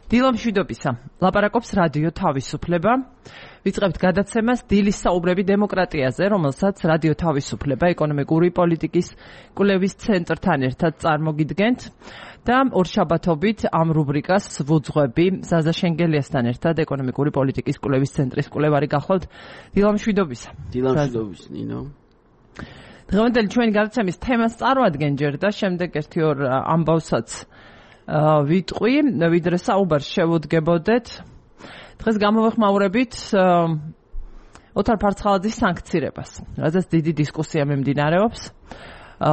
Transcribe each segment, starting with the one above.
დილომშვიდობისა. ლაპარაკობს რადიო თავისუფლება. ვიწყებთ გადაცემას დილის საუბრები დემოკრატიაზე, რომელსაც რადიო თავისუფლება ეკონომიკური პოლიტიკის კვლევის ცენტრთან ერთად წარმოგიდგენთ და ორშაბათობით ამ რუბრიკას ვუძღვები ზაზა შენგელიასთან ერთად ეკონომიკური პოლიტიკის კვლევის ცენტრის კვლევარი გახლავთ. დილომშვიდობისა. დილომშვიდობის, ნინო. დღევანდელი ჩვენი გადაცემის თემას წარმოადგენ ჯერ და შემდეგ ერთი-ორ ამბავსაც ვიტყვი, ვიდრე საუბარს შევუდგებოდეთ. დღეს გამოვეხმაურებით ოთარ ფარცხალაძის სანქცირებას, რადგან დიდი დისკუსია მიმდინარეობს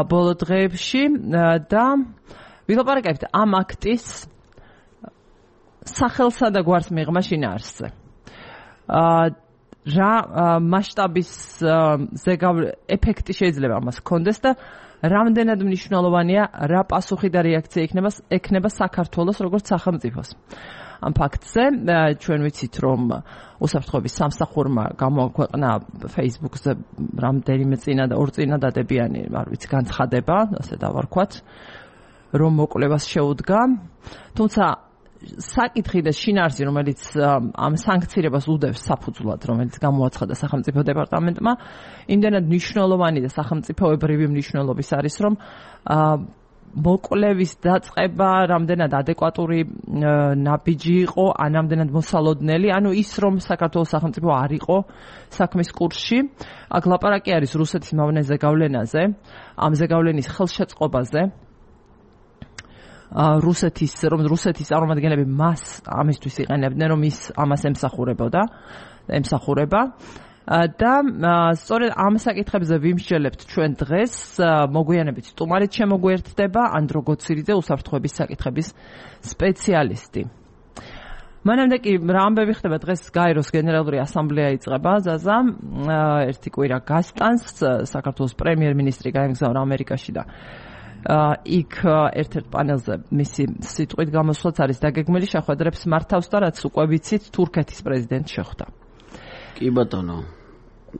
ბოლო დღეებში და ვილაპარაკებთ ამ აქტის სახელსა და გვარს მიღმა შინაარსზე. რა მასშტაბის ეფექტი შეიძლება ამას ჰქონდეს და რამდენად მნიშვნელოვანია რა პასუხი და რეაქცია ექნება საქართველოს როგორც სახელმწიფოს. ამ ფაქტზე ჩვენ ვიცით, რომ უსაფრთხოების სამსახურმა გამოაქვეყნა Facebook-ზე რამდენიმე წინა და ორ წინადადებიანი, არ ვიცი, განცხადება, ასე დავარქვათ, რომ მოკვლევას შეუდგა. თუმცა საკითხი და შინაარსი, რომელიც ამ სანქცირებას უდევს საფუძვლად, რომელიც გამოაცხადა სახელმწიფო დეპარტამენტმა, იმდენად მნიშვნელოვანი და სახელმწიფოებრივი მნიშვნელობის არის, რომ მოკვლევის დაწყება რამდენად ადეკვატური ნაბიჯი იყო, ან რამდენად მოსალოდნელი, ანუ ის, რომ საქართველოს სახელმწიფო არ იყო საქმის კურსში. აქ ლაპარაკი არის რუსეთის მავნე ზეგავლენაზე, ამ ზეგავლენის ხელშეწყობაზე. რუსეთის წარმომადგენლები მას ამისთვის იყენებდნენ, რომ ის ამას ემსახურება და სწორედ ამ საკითხებზე ვიმსჯელებთ ჩვენ დღეს, მოგვიანებით სტუმარით შემოგვიერთდება ანდრო გოცირიძე, უსაფრთხოების საკითხების სპეციალისტი. მანამდე კი რა ამბები ხდება, დღეს გაეროს გენერალური ასამბლეა იწყება, ზაზა, ერთი კვირა გასტანს, საქართველოს პრემიერ-მინისტრი გაემგზავრა ამერიკაში და იქ ერთ-ერთ პანელზე მისი სიტყვით გამოსვლაც არის დაგეგმილი, შეხვედრებს მართავს და რაც უკვე ვიცით, თურქეთის პრეზიდენტ შეხვდა. კი ბატონო.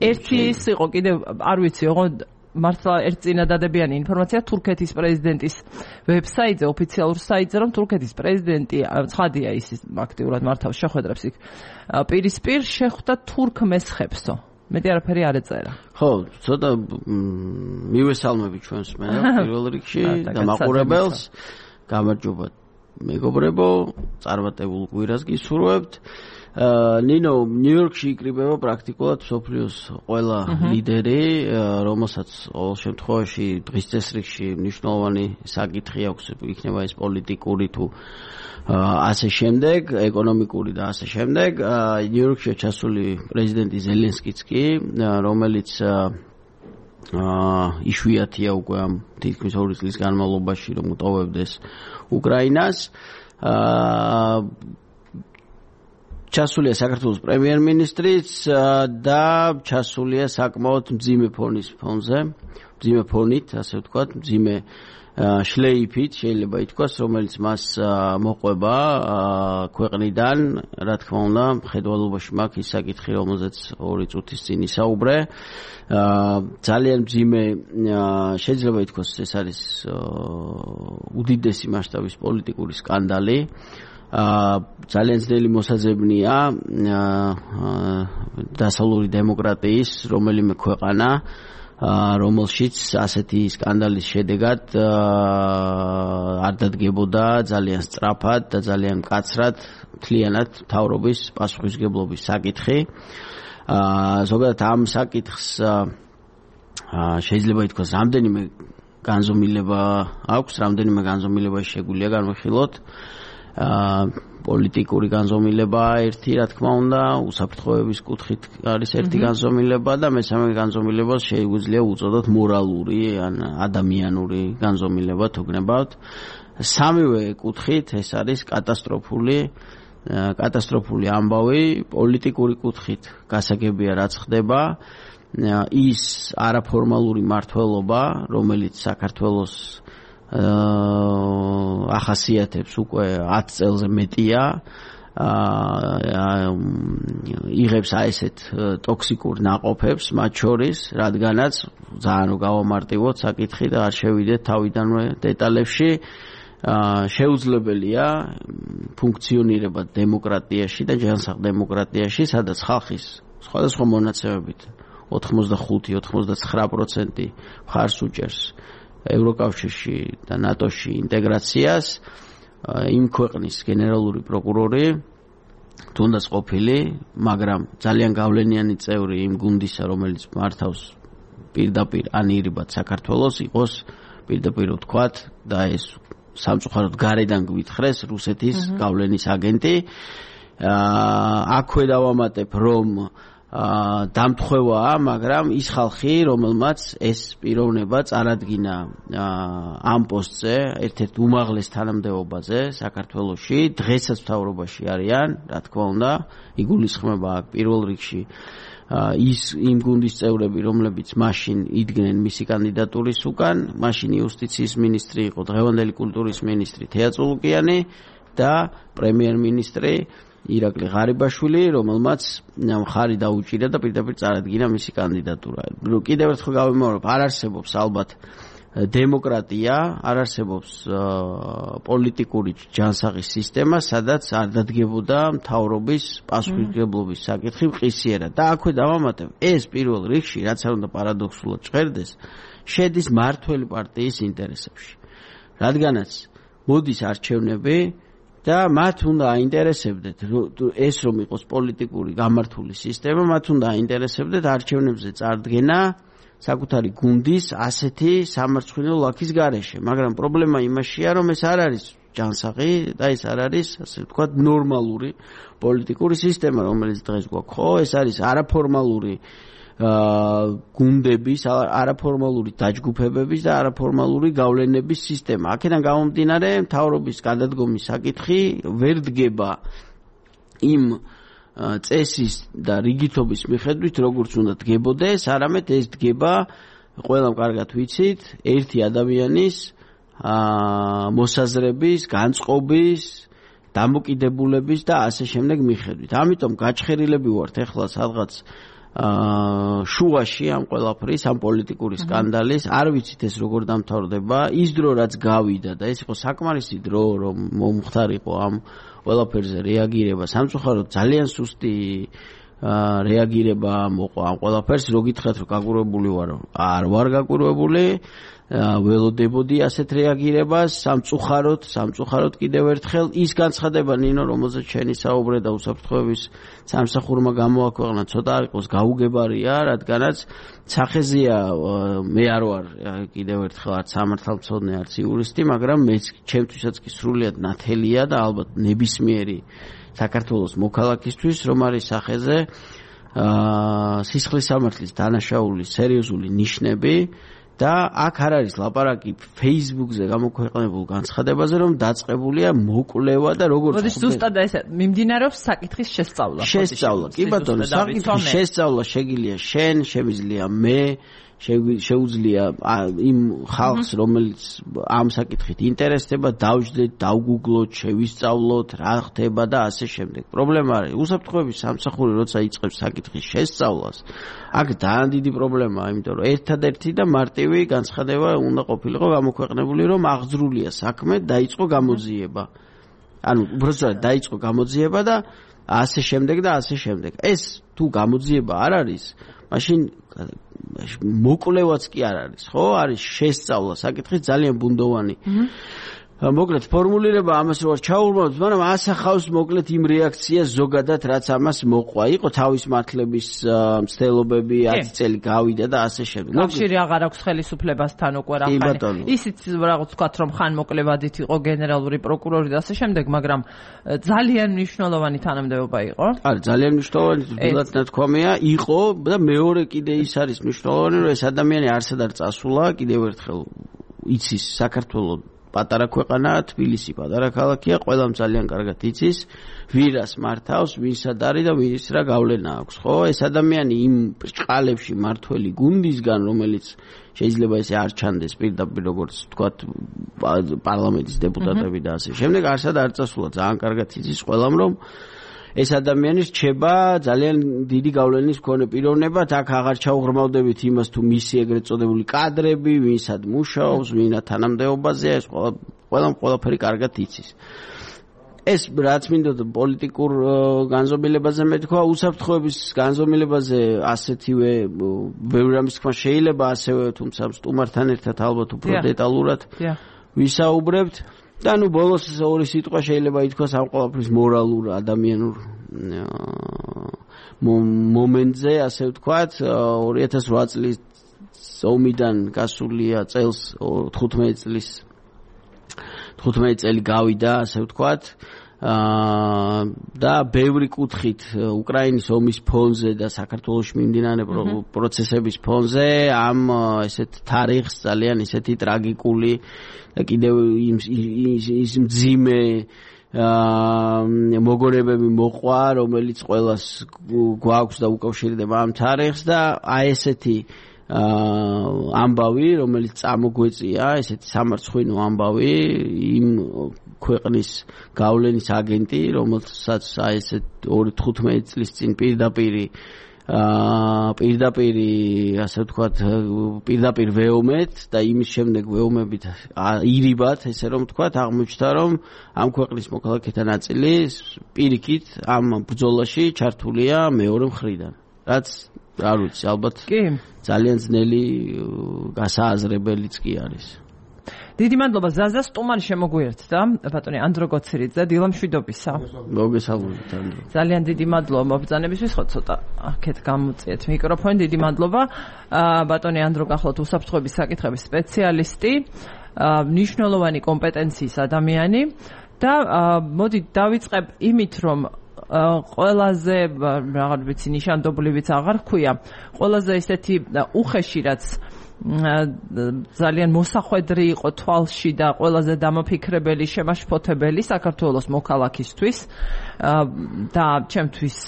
ერთი ის იყო, კიდევ არ ვიცი, მართლა ერთ წინადადებიანი ინფორმაცია თურქეთის პრეზიდენტის ვებსაიტზე, ოფიციალურ საიტზე, რომ თურქეთის პრეზიდენტი, ცხადია ის აქტიურად მართავს შეხვედრებს იქ, პირისპირ შეხვდა თურქ მესხებსო. მეტი არაფერი არ ეწერა. ხო, ცოტა მივესალმები ჩვენს პირველ რიგში და მაყურებელს. გამარჯობა მეგობრებო, წარმატებულ კვირას გისურვებთ. ნინო, ნიუ-იორკში იკრიბება პრაქტიკულად მსოფლიოს ყველა ლიდერი, რომელსაც ყოველ შემთხვევაში დღის წესრიგში მნიშვნელოვანი საკითხი აქვს, იქნება ეს პოლიტიკური თუ ასე შემდეგ, ეკონომიკური და ასე შემდეგ. ნიუ-იორკშია ჩასული პრეზიდენტი ზელენსკიც კი, რომელიც იშვიათია უკვე ამ თითქმის 2 წლის განმავლობაში, რომ უტოვებდეს უკრაინას. ჩასულია საქართველოს პრემიერ-მინისტრიც და ჩასულია საკმაოდ მძიმე ფონით, ასე ვთქვათ, მძიმე შლეიფით შეიძლება ითქვას, რომელიც მას მოყვება ქვეყნიდან, რა თქმა უნდა, ხედველობაში მაქვს ის საკითხი, რომელზეც 2 წუთის წინ ისაუბრე. ძალიან მძიმე, შეიძლება ითქვას, ეს არის უდიდესი მასშტაბის პოლიტიკური სკანდალი. ძალიან ძნელი მოსაძებნია დასავლური დემოკრატიის რომელიმე ქვეყანა, რომელშიც ასეთი სკანდალის შედეგად არ დადგებოდა ძალიან სწრაფად და ძალიან მკაცრად მთლიანად მთავრობის პასუხისმგებლობის საკითხი. ზოგადად ამ საკითხს შეიძლება ითქვას, რამდენიმე განზომილება აქვს, რამდენიმე განზომილება შეგვიძლია განვიხილოთ. პოლიტიკური განზომილება ერთი, რა თქმა უნდა, უსაფრთხოების კუთხით არის ერთი განზომილება და მესამე განზომილებას შეგვიძლია უწოდოთ მორალური ან ადამიანური განზომილება თუ გნებავთ. სამივე კუთხით ეს არის კატასტროფული ამბავი. პოლიტიკური კუთხით გასაგებია რაც ხდება, ის არაფორმალური მმართველობა, რომელიც საქართველოს ახასიათებს უკვე 10 წელზე მეტია, იღებს ესეთ ტოქსიკურ ნაყოფებს მათ შორის, რადგანაც ძალიან გავამარტივოთ საკითხი და არ შევიდეთ თავიდანვე დეტალებში. შეუძლებელია ფუნქციონირება დემოკრატიაში და ჯანსაღ დემოკრატიაში, სადაც ხალხის სხვადასხვა მონაცემებით 85-99% მხარს უჭერს ევროკავშირში და ნატოში ინტეგრაციას, იმ ქვეყნის გენერალური პროკურორი თუნდაც ყოფილი, მაგრამ ძალიან გავლენიანი წევრი იმ გუნდისა, რომელიც მართავს პირდაპირ ანირებად საქართველოს, იყოს პირდაპირ ვთქვათ და ეს სამწუხაროდ გარედან გვითხრეს რუსეთის გავლენის აგენტი. აქვე დავამატებ, რომ დამთხევაა, მაგრამ ის ხალხი, რომელმაც ეს პიროვნება წარადგინა ამ პოსტზე, ერთ-ერთ უმაღლეს თანამდებობაზე საქართველოში, დღესაც მთავრობაში არიან, რა თქმა უნდა, იგულისხმება აქ პირველ რიგში იმ გუნდის წევრები, რომლებიც მაშინ იდგნენ მისი კანდიდატურის უკან, მაშინ იუსტიციის მინისტრი იყო დღევანდელი კულტურის მინისტრი თეა წულუკიანი და პრემიერ-მინისტრი ირაკლი ღარიბაშვილი, რომელმაც მხარი დაუჭირა და პირდაპირ წარადგინა მისი კანდიდატურა. კიდევ ერთხელ გავიმეორებ, არ არსებობს ალბათ დემოკრატია, არ არსებობს პოლიტიკური ჯანსაღის სისტემა, სადაც არ დადგებოდა მთავრობის პასუხისმგებლობის საკითხი მყისიერად. და აქვე დავამატებ, ეს პირველ რიგში, რაც არ უნდა პარადოქსულად ჟღერდეს, შედის მმართველი პარტიის ინტერესებში. რადგანაც მოდის არჩევნები და მათ უნდა აინტერესებდეთ ეს რომ იყოს პოლიტიკური გამართული სისტემა, მათ უნდა აინტერესებდეთ არჩევნებზე წარდგენა საკუთარი გუნდის ასეთი სამარცხვინო ლაქის გარეშე, მაგრამ პრობლემა იმაშია, რომ ეს არ არის ჯანსაღი და ეს არ არის, ასე ვთქვათ, ნორმალური პოლიტიკური სისტემა, რომელიც დღეს გვაქვს, ხო? ეს არის არაფორმალური გუნდების, არაფორმალური დაჯგუფებების და არაფორმალური გავლენების სისტემა. აქედან გამომდინარე, მთავრობის გადადგომის საკითხი ვერ დგება იმ წესის და რიგითობის მიხედვით, როგორც უნდა დგებოდეს, არამედ ეს დგება, ყველამ კარგად ვიცით, ერთი ადამიანის მოსაზრების, განწყობის, დამოკიდებულების და ასე შემდეგ მიხედვით. ამიტომ გაჩხერილები ვართ ახლა სადღაც შუაში ამ ყველაფრის, ამ პოლიტიკური სკანდალის, არ ვიცით ეს როგორ დამთავრდება, ის დრო რაც გავიდა და ეს იყო საკმარისი დრო, რომ მომხდარიყო ამ ყველაფერზე რეაგირება, სამწუხაროდ ძალიან სუსტი რეაგირება მოყვა ამ ყველაფერს, რო გითხრათ რომ გაგურვებული ვარ, არ ვარ გაგურვებული, ველოდებოდი ასეთ რეაგირებას, სამწუხაროდ კიდევ ერთხელ ის განცხადება ნინო, რომელზეც შენი საუბრე და უსაფრთხოების სამსახურმა გამოაქვეყნა, ცოტა არ იყოს გაუგებარია, რადგანაც სახეზეა მე არ ვარ კიდევ ერთხელ არც სამართალმცოდნე, არც იურისტი, მაგრამ მეც ჩემთვისაც კი სრულიად ნათელია და ალბათ ნებისმიერი საქართველოს მოქალაქისთვის, რომ არის სახეზე სისხლის სამართლის დანაშაულის სერიოზული ნიშნები და აქ არ არის ლაპარაკი Facebook-ზე გამოქვეყნებულ განცხადებაზე, რომ დაწყებულია მოკვლევა და როგორც მოდი ზუსტად ეს მიმდინარეობს საკითხის შესწავლა. კი ბატონო, საკითხის შესწავლა შეგიძლია შენ, შემიძლია მე, შეუძლია იმ ხალხს, რომელიც ამ საკითხით ინტერესდება, დავждეთ, დავგუგლოთ, შევისწავლოთ, რა ხდება და ასე შემდეგ. პრობლემა არის, უსაფრთხოების სამსახური როცა იწყებს საკითხის შესწავლას, აქ ძალიან დიდი პრობლემაა, იმიტომ რომ ერთადერთი და მარტივი განცხადება უნდა ყოფილიყო გამოქვეყნებული, რომ აღძრულია საქმე, დაიწყო გამოძიება. ანუ უბრალოდ დაიწყო გამოძიება და ასე შემდეგ და ასე შემდეგ. ეს თუ გამოძიება არ არის, მაშინ მოკვლევაც კი არ არის, ხო? არის შესწავლა საკითხის ძალიან ბუნდოვანი. მოკლედ ფორმულირება ამას რო არ ჩაურმავთ, მაგრამ ასახავს მოკლედ იმ რეაქციას ზოგადად, რაც ამას მოყვა. იყო თავის მართლების მცდელობები, 10 წელი გავიდა და ასე შემდეგ. კავშირი აღარ აქვს ხელისუფლებასთან უკვე რა ხანი. ისიც რაღაც ვთქვათ, რომ ხან მოკლევადით იყო გენერალური პროკურორი და ასე შემდეგ, მაგრამ ძალიან მნიშვნელოვანი თანამდებობა იყო. არა, ძალიან მნიშვნელოვანი, თუნდაც ნათქვამია, იყო და მეორე კიდე ის არის მნიშვნელოვანი, რომ ეს ადამიანი არსად არ წასულა, კიდევ ერთხელ იცის საქართველოს პატარა ქვეყანაა, თბილისი პატარა ქალაქია, ყველამ ძალიან კარგად იცის, ვირას მართავს, ვინსად არის და ვის რა გავლენა აქვს, ხო? ეს ადამიანი იმ ბრჭყალებში მართველი გუნდისგან, რომელიც შეიძლება ესე არ ჩანდეს პირდაპირ როგორც ვთქვათ პარლამენტის დეპუტატები და ასე შემდეგ, არსად არ წასულა, ძალიან კარგად იცის ყველამ, რომ ეს ადამიანი რჩება ძალიან დიდი გავლენის მქონე პიროვნებად, აქ აღარ ჩაუღრმავდებით იმას თუ მისი ეგრეთ წოდებული კადრები, ვინსად მუშაობს, ვინა თანამდებობაზეა, ეს ყველაფერი კარგად იცის. ეს რაც მინდოდა პოლიტიკურ განზომილებაზე მეთქვა, უსაფრთხოების განზომილებაზე ასეთივე ბევრი რამის თქმა შეიძლება, ასევე თუმცა სტუმართან ერთად ალბათ უფრო დეტალურად ვისაუბრებთ. და ნუ ბოლოს ორი სიტყვა შეიძლება ითქვას ამ ყველაფრის მორალურ ადამიანურ მომენტზე, ასე ვთქვათ, 2008 წლის ომიდან გასულია წელს 15 წელი გავიდა, ასე ვთქვათ, და ბევრი კუთხით უკრაინის ომის ფონზე და საქართველოში მიმდინარე პროცესების ფონზე ამ ესეთ თარიღს ძალიან ისეთი ტრაგიკული და კიდევ ის მძიმე მოგონებები მოყვა, რომელიც ყველას გვაქვს და უკავშირდება ამ თარიღს და აი ესეთი ამბავი, რომელიც წამოგვეწია, ესეთი სამარცხვინო ამბავი იმ ქვეყნის გავლენის აგენტი, რომელსაც აი ესეთ 15 წლის წინ პირდაპირ ასე ვთქვათ, პირდაპირ ვეომეთ და იმის შემდეგ ვეომებით ირიბად, ესე რომ ვთქვათ, აღმოჩნდა, რომ ამ ქვეყნის მოქალაქეთა ნაწილი პირიქით ამ ბრძოლაში ჩართულია მეორე მხრიდან. რაც არ ვიცი, ალბათ ძალიან ძნელი გასააზრებელიც კი არის. დიდი მადლობა ზაზა, სტუმარი შემოგვიერთდა, ბატონი ანდრო გოცირიძე, დილამშვიდობისა. მოგესალმებით, ანდრო. ძალიან დიდი მადლობა მობრძანებისთვის, ხო ცოტა აქეთ გამოწიეთ მიკროფონი. დიდი მადლობა. ბატონი ანდრო გახლავთ უსაფრთხოების საკითხების სპეციალისტი, მნიშვნელოვანი კომპეტენციის ადამიანი და მოდი დავიწყებ იმით, რომ ყველაზე რაღაც ვიცი ნიშანდობლივიც აღარ ხქვია, ყველაზე ესეთი უხეში რაც ძალიან მოსახვედრი იყო თვალში და ყველაზე დამაფიქრებელი, შემაშფოთებელი საქართველოს მოქალაქისთვის და ჩემთვის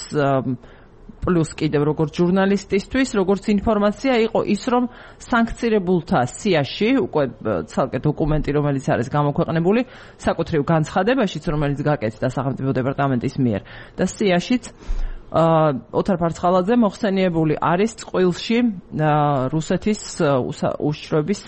პლუს კიდევ როგორც ჟურნალისტისთვის, როგორც ინფორმაცია იყო ის, რომ სანქცირებულთა სიაში, უკვე ცალკე დოკუმენტი, რომელიც არის გამოქვეყნებული, საკუთრივ განცხადებაშიც, რომელიც გაკეთდა სახელმწიფო დეპარტამენტის მიერ და სიაშიც ოთარ ფარცხალაძე მოხსენიებული არის წყვილში რუსეთის უშიშროების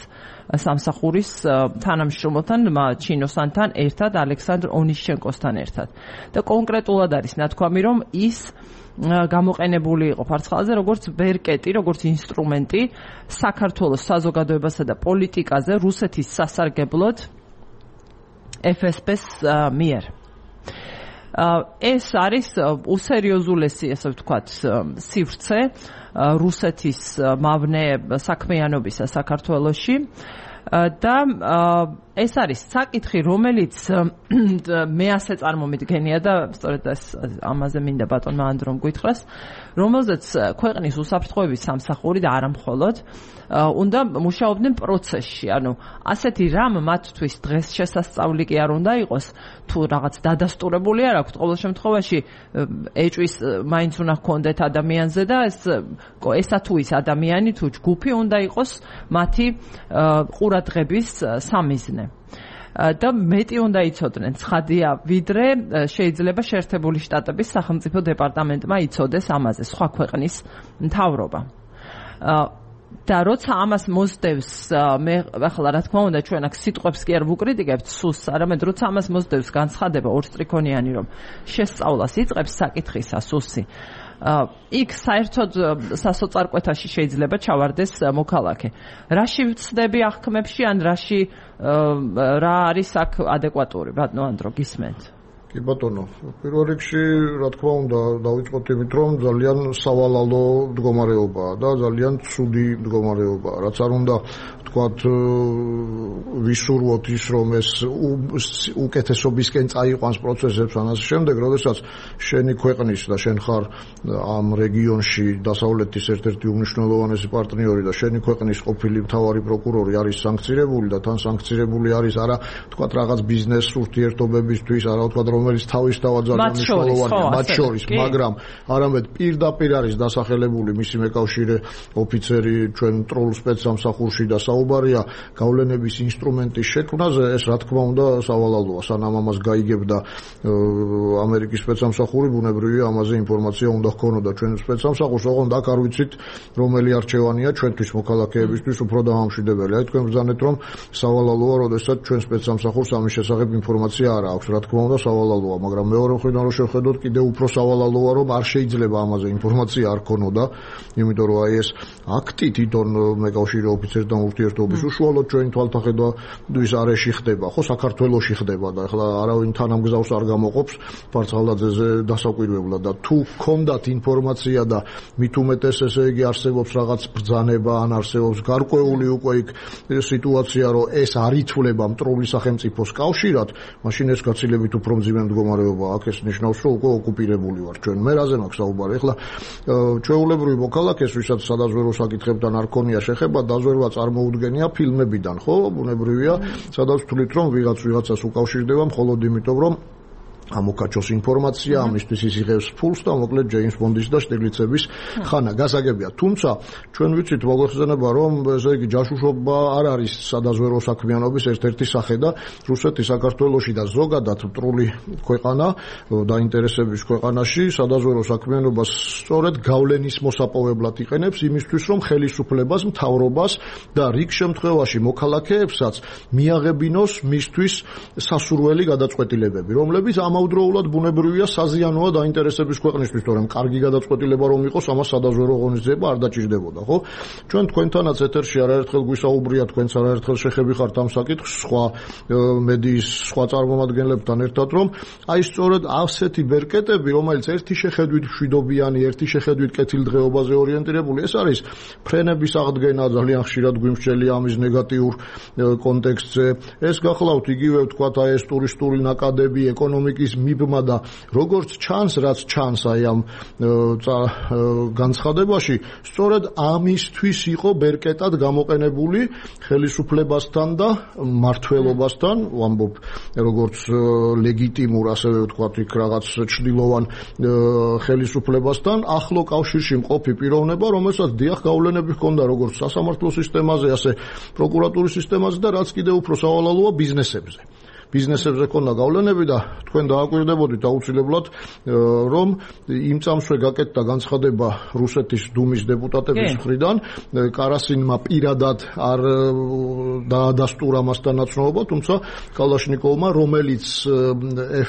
სამსახურის თანამშრომელთან, ჩინოსანთან ერთად, ალექსანდრ ონიშჩენკოსთან ერთად. და კონკრეტულად არის ნათქვამი, რომ ის გამოყენებული იყო ფარცხალაძე როგორც ბერკეტი, როგორც ინსტრუმენტი საქართველოს საზოგადოებასა და პოლიტიკაზე რუსეთის სასარგებლოდ FSB-ს მიერ. ეს არის უსერიოზულესი, ასე ვთქვათ, სივრცე რუსეთის მავნე საქმიანობისა საქართველოში და ეს არის საკითხი, რომელიც მე ასე წარმომიდგენია და სწორედ ამაზე მინდა ბატონმა ანდრომ გითხრას, რომელზეც ქვეყნის უსაფრთხოების სამსახური და არა მხოლოდ უნდა მუშაობდნენ პროცესში. ანუ ასეთი რამ მათთვის დღეს შესასწავლი კი არ უნდა იყოს, თუ რაღაც დადასტურებული არ აქვთ, ყოველ შემთხვევაში ეჭვის მაინც უნდა ჰქონდეთ ადამიანზე და ესა თუ ის ადამიანი თუ ჯგუფი უნდა იყოს მათი ყურადღების სამიზნე. და მეტი უნდა იცოდნენ, ცხადია, ვიდრე შეიძლება შეერთებული შტატების სახელმწიფო დეპარტამენტმა იცოდეს ამაზე, სხვა ქვეყნის მთავრობა. და როცა ამას მოსდევს, მე ახლა რა თქმა უნდა ჩვენ აქ სიტყვებს კი არ ვუკრიტიკებთ სულს, არამედ როცა ამას მოსდევს განცხადება ორსტრიქონიანი, რომ შესწავლას იწყებს საკითხისა სულსი, იქ საერთოდ სასოწარკვეთაში შეიძლება ჩავარდეს მოქალაქე. რაში ვცდები აღქმებში, ან რა არის აქ ადეკვატური, ბატონო ანდრო, გისმენთ? კი ბატონო, პირველ რიგში, რა თქმა უნდა, დავიწყოთ იმით, რომ ძალიან სავალალო მდგომარეობაა და ძალიან ცუდი მდგომარეობაა. რაც არ უნდა ვთქვათ, ვისურვოთ ის, რომ ეს უკეთესობისკენ წაიყვანს პროცესებს ან ასე შემდეგ, როდესაც შენი ქვეყნის და შენ ხარ ამ რეგიონში დასავლეთის ერთ-ერთი უმნიშვნელოვანესი პარტნიორი და შენი ქვეყნის ყოფილი მთავარი პროკურორი არის სანქცირებული და თან სანქცირებული არის არა ვთქვათ რაღაც ბიზნეს ურთიერთობებისთვის, არა ვთქვათ რომ რომელიც თავისთავად ძალიან მნიშვნელოვანია მათ შორის, მაგრამ არამედ პირდაპირ არის დასახელებული მისი მეკავშირე ოფიცერი ჩვენ ტროულ სპეცსამსახურში და საუბარია გავლენების ინსტრუმენტის შექმნაზე, ეს რა თქმა უნდა სავალალოა, სანამ ამას გაიგებდა ამერიკის სპეცსამსახური, ბუნებრივია ამაზე ინფორმაცია უნდა ჰქონოდა ჩვენ სპეცსამსახურს, ოღონდ აქ არ ვიცით რომელი არჩევანია ჩვენთვის მოქალაქეებისთვის უფრო დამამშვიდებელი. აი თქვენ ბრძანეთ რომ სავალალოა, როდესაც ჩვენ სპეცსამსახურს ამის შესახებ ინფორმაცია არ აქვს, რა თქმა უნდა სავალალოა, მაგრამ მეორე მხრიდან რომ შევხედოთ, კიდევ უფრო სავალალოა, რომ არ შეიძლება ამაზე ინფორმაცია არ ქონოდა, იმიტომ რომ აი ეს აქტი თვითონ მეკავშირე ოფიცერთან ურთიერთობის უშუალოდ ჩვენი თვალთახედვის არეში ხდება, ხო, საქართველოში ხდება და ახლა არავინ თანამგზავს არ გამოყოფს ფარცხალაძეზე დასაკვირვებლად და თუ გქონდათ ინფორმაცია და მით უმეტეს ესე იგი არსებობს რაღაც ბრძანება ან არსებობს გარკვეული უკვე იქ სიტუაცია, რომ ეს არ ითვლება მტრული სახელმწიფოს კავშირად, მაშინ ეს გაცილებით უფრო მძიმე მდგომარეობა აქ, ეს ნიშნავს, რომ უკვე ოკუპირებული ვარ ჩვენ. მე რაზე მაქვს საუბარი? ახლა ჩვეულებრივი მოქალაქეს, ვისაც სადაზვერო საკითხებთან არ ქონია შეხება, დაზვერვა წარმოუდგენია ფილმებიდან, ხო? ბუნებრივია, სადაც ვთვლით, რომ ვიღაცას უკავშირდება მხოლოდ იმიტომ, რომ ამოკაჩოს ინფორმაცია, ამისთვის ის იღებს ფულს და მოკლედ ჯეიმს ბონდის და შტიგლიცების ხანა გასაგებია. თუმცა ჩვენ ვიცით მოგვეხსენება, რომ ესე იგი ჯაშუშობა არ არის სადაზვერო საქმიანობის ერთ-ერთი სახე და რუსეთი საქართველოში და ზოგადად მტრული ქვეყანა დაინტერესების ქვეყანაში სადაზვერო საქმიანობას სწორედ გავლენის მოსაპოვებლად იყენებს იმისთვის, რომ ხელისუფლებას, მთავრობას და რიგ შემთხვევაში მოქალაქეებსაც მიაღებინოს მისთვის სასურველი გადაწყვეტილებები, რომლებიც ამავდროულად ბუნებრივია საზიანოა დაინტერესების ქვეყნისთვის, თორემ კარგი გადაწყვეტილება რომ იყოს, ამას სადაზვერო ღონისძიება არ დაჭირდებოდა, ხო? ჩვენ თქვენთანაც ეთერში არაერთხელ გვისაუბრია, თქვენც არაერთხელ შეხები ხართ ამ საკითხს, სხვა მედიის სხვა წარმომადგენლებთან ერთად, რომ აი სწორედ ასეთი ბერკეტები, რომელიც ერთი შეხედვით მშვიდობიანი, ერთი შეხედვით კეთილდღეობაზე ორიენტირებული, ეს არის ფრენების აღდგენა, ძალიან ხშირად გვიმსჯელია ამის ნეგატიურ კონტექსტზე. ეს გახლავთ იგივე ვთქვათ, აი ეს ტურისტული ნაკადები, ეკონომიკის მიბმა და როგორც ჩანს, რაც ჩანს აი ამ განცხადებაში, სწორედ ამისთვის იყო ბერკეტად გამოყენებული ხელისუფლებასთან და მმართველობასთან, ვამბობ, როგორც ლეგიტიმურ, ასევე ვთქვათ, იქ რაღაც ჩრდილოვან ხელისუფლებასთან ახლო კავშირში მყოფი პიროვნება, რომელსაც დიახ გავლენები ჰქონდა როგორც სასამართლო სისტემაზე, ასე პროკურატურის სისტემაზე და რაც კიდევ უფრო სავალალოა ბიზნესებზე. ბიზნესებზე ქონდა გავლენები და თქვენ დააკვირდებოდით აუცილებლად, რომ იმ წამსვე გაკეთდა განცხადება რუსეთის დუმის დეპუტატების მხრიდან, კარასინმა პირადად არ დაადასტურა მასთან ნაცნობობა, თუმცა კალაშნიკოვმა, რომელიც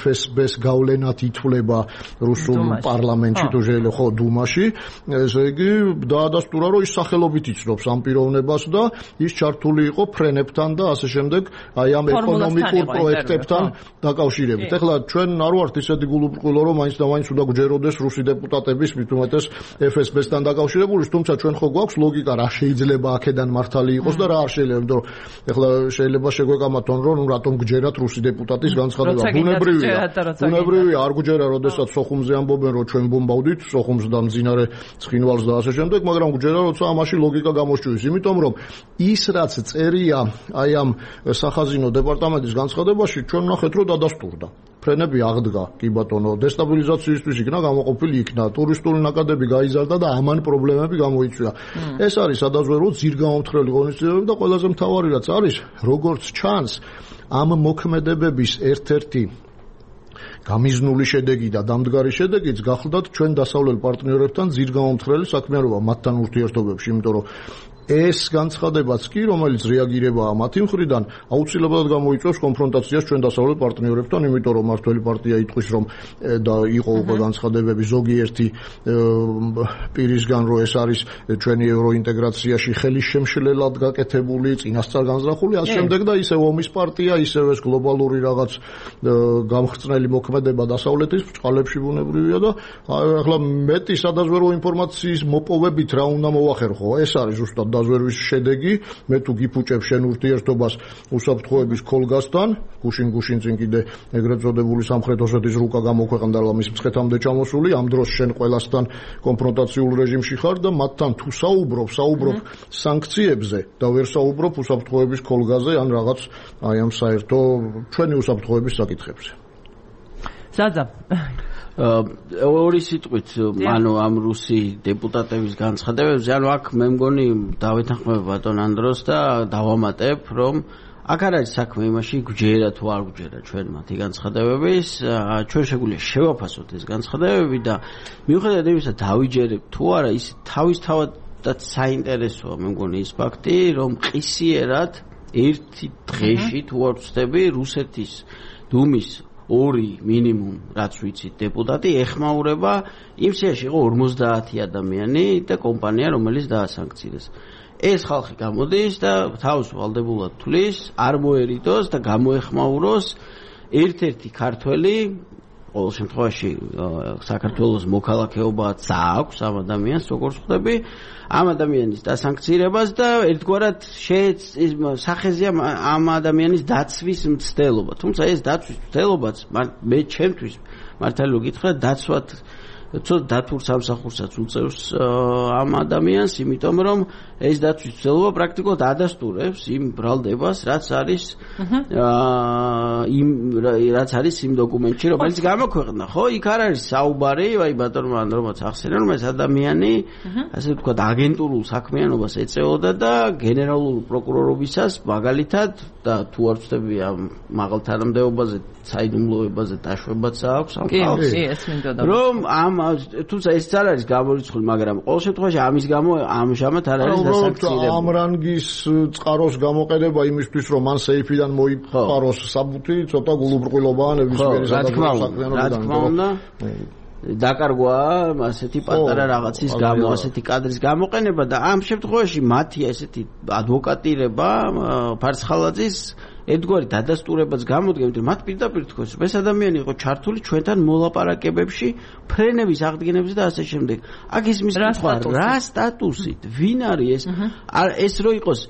FSB-ს გავლენად ითვლება რუსულ პარლამენტში, თუ შეიძლება ხო დუმაში, ესე იგი დაადასტურა, რომ ის სახელობით იცნობს ამ პიროვნებას და ის ჩართული იყო ფრენებთან და ასე შემდეგ, აი ამ ეკონომიკურ პროექტებთან დაკავშირებით. ეხლა ჩვენ არ ვართ ისეთი გულუბრყვილო, რომ მაინც და მაინც უნდა გვჯეროდეს რუსი დეპუტატების მით უმეტეს FSB-სთან დაკავშირებული, თუმცა ჩვენ ხო გვაქვს ლოგიკა, რა შეიძლება აქედან მართალი იყოს და რა არ შეიძლება, იმიტომ რომ ეხლა შეიძლება შეგვეკამათონ, რომ რატომ გჯერათ რუსი დეპუტატის განცხადება. ბუნებრივია, არ გჯერა, როდესაც სოხუმზე ამბობენ, რომ ჩვენ ბომბავდით სოხუმს და მძინარე ცხინვალს და ასე შემდეგ, მაგრამ გჯერა, როცა ამაში ლოგიკა გამოსჭვის, იმიტომ რომ ის რაც წერია აი ამ სახაზინო დეპარტამენტის განცხადებაში, ჩვენ ნახეთ, რომ დადასტურდა. ფრენები აღდგა, კი ბატონო, დესტაბილიზაციისთვის იქნა გამოყოფილი იქნა, ტურისტული ნაკადები გაიზარდა და ამან პრობლემები გამოიწვია. ეს არის სადაზვერო ძირგამომთხრელი ღონისძიებები და ყველაზე მთავარი რაც არის, როგორც ჩანს, ამ მოქმედებების ერთ-ერთი გამიზნული შედეგი და დამდგარი შედეგიც გახლდათ ჩვენ დასავლელ პარტნიორებთან ძირგამომთხრელი საქმიანობა მათთან ურთიერთობებში, იმიტომ რომ ეს განცხადებაც კი, რომელიც რეაგირებაა მათი მხრიდან, აუცილებლად გამოიწვევს კონფრონტაციას ჩვენ დასავლელ პარტნიორებთან, იმიტომ რომ მართველი პარტია იტყვის, რომ და იყო უკვე განცხადებები ზოგიერთი პირისგან, რომ ეს არის ჩვენი ევროინტეგრაციაში ხელის შემშლელად გაკეთებული, წინასწარ განზრახული, ასე შემდეგ და ისევ ომის პარტია, ისევ ეს გლობალური რაღაც გამხრწნელი მოქმედება დასავლეთის ბრჭყალებში ბუნებრივია და ახლა მეტი სადაზვერო ინფორმაციის მოპოვებით რა უნდა მოვახერხო, ეს არის ზუსტად დაზვერვის შედეგი, მე თუ გიფუჭებ შენ ურთიერთობას უსაფრთხოების ქოლგასთან, გუშინ წინ კიდე ეგრეთ წოდებული სამხრეთ ოსეთის რუკა გამოქვეყნდა მის მცხეთამდე ჩამოსული, ამ დროს შენ ყველასთან კონფრონტაციულ რეჟიმში ხარ და მათთან თუ საუბრობ სანქციებზე და ვერ საუბრობ უსაფრთხოების ქოლგაზე ან რაღაც აი ამ საერთო ჩვენი უსაფრთხოების საკითხებზე. საძა ორი სიტყვით ანუ ამ რუსი დეპუტატების განცხადებებზე ანუ აქ მე მგონი დავეთანხმებ ბატონ ანდროს და დავამატებ რომ აქ არ არის საქმე იმაში გვჯერა თუ არ გვჯერა ჩვენ მათი განცხადებების ჩვენ შეგვიძლია შევაფასოთ ეს განცხადებები და მიუხედავად იმისა დავიჯერებ თუ არა ის თავისთავადაც საინტერესოა მე მგონი ის ფაქტი რომ ყისიერად ერთი დღეში თუ არ ვწდები რუსეთის დუმის ორი მინიმუმ რაც ვიცით დეპუტატი ეხმაურება იმ სიაში იყო 50 ადამიანი და კომპანია რომელიც დაასანქცირეს ეს ხალხი გამოდის და თავს ვალდებულად თulis არ მოერიდოს და გამოეხმაუროს ერთ-ერთი ქართველი ყოველ შემთხვევაში საქართველოს მოქალაქეობაც აქვს ამ ადამიანს როგორც ხვდები ამ ადამიანის დასანქცირებას და ერთგვარად სახეზეა ამ ადამიანის დაცვის მცდელობა თუმცა ეს დაცვის მცდელობაც მე ჩემთვის მართალი რომ გითხრათ დაცვად ცოტა დათურ სამსახურსაც უწევს ამ ადამიანს იმიტომ რომ ეს დაცვის მცდელობა პრაქტიკულად ადასტურებს იმ ბრალდებას რაც არის იმ დოკუმენტში რომელიც გამოქვეყნდა ხო იქ არ არის საუბარი აი ბატონმა ანდრომაც ახსენა რომ ეს ადამიანი ასე ვთქვათ აგენტურულ საქმიანობას ეწეოდა და გენერალურ პროკურორობისას მაგალითად და თუ არ ვწდები ამ მაღალ თანამდებობაზე საიდუმლოებაზე დაშვებაც აქვს ამ ხალხს რომ ამ თუმცა ეს არ არის გამორიცხული მაგრამ ყოველ შემთხვევაში ამის გამო ამჟამად არ არის დასანქცირებული ამ რანგის წყაროს გამოყენება იმისთვის რომ მან სეიფიდან მოიპაროს საბუთი ცოტა გულუბრყვილობაა ნებისმიერი საქმიანობიდან დაკარგვა ასეთი პატარა რაღაცის გამო ასეთი კადრის გამოყენება და ამ შემთხვევაში მათი ასეთი ადვოკატირება ფარცხალაძის ერთგვარი დადასტურებაც გამოდგება, რომ მათ პირდაპირ თქოს, რომ ეს ადამიანი იყო ჩართული ჩვენთან მოლაპარაკებებში, ფრენების აღდგენებზე და ასე შემდეგ. აქ ისმის კითხვა, რა სტატუსით, ვინ არის ეს? ეს რო იყოს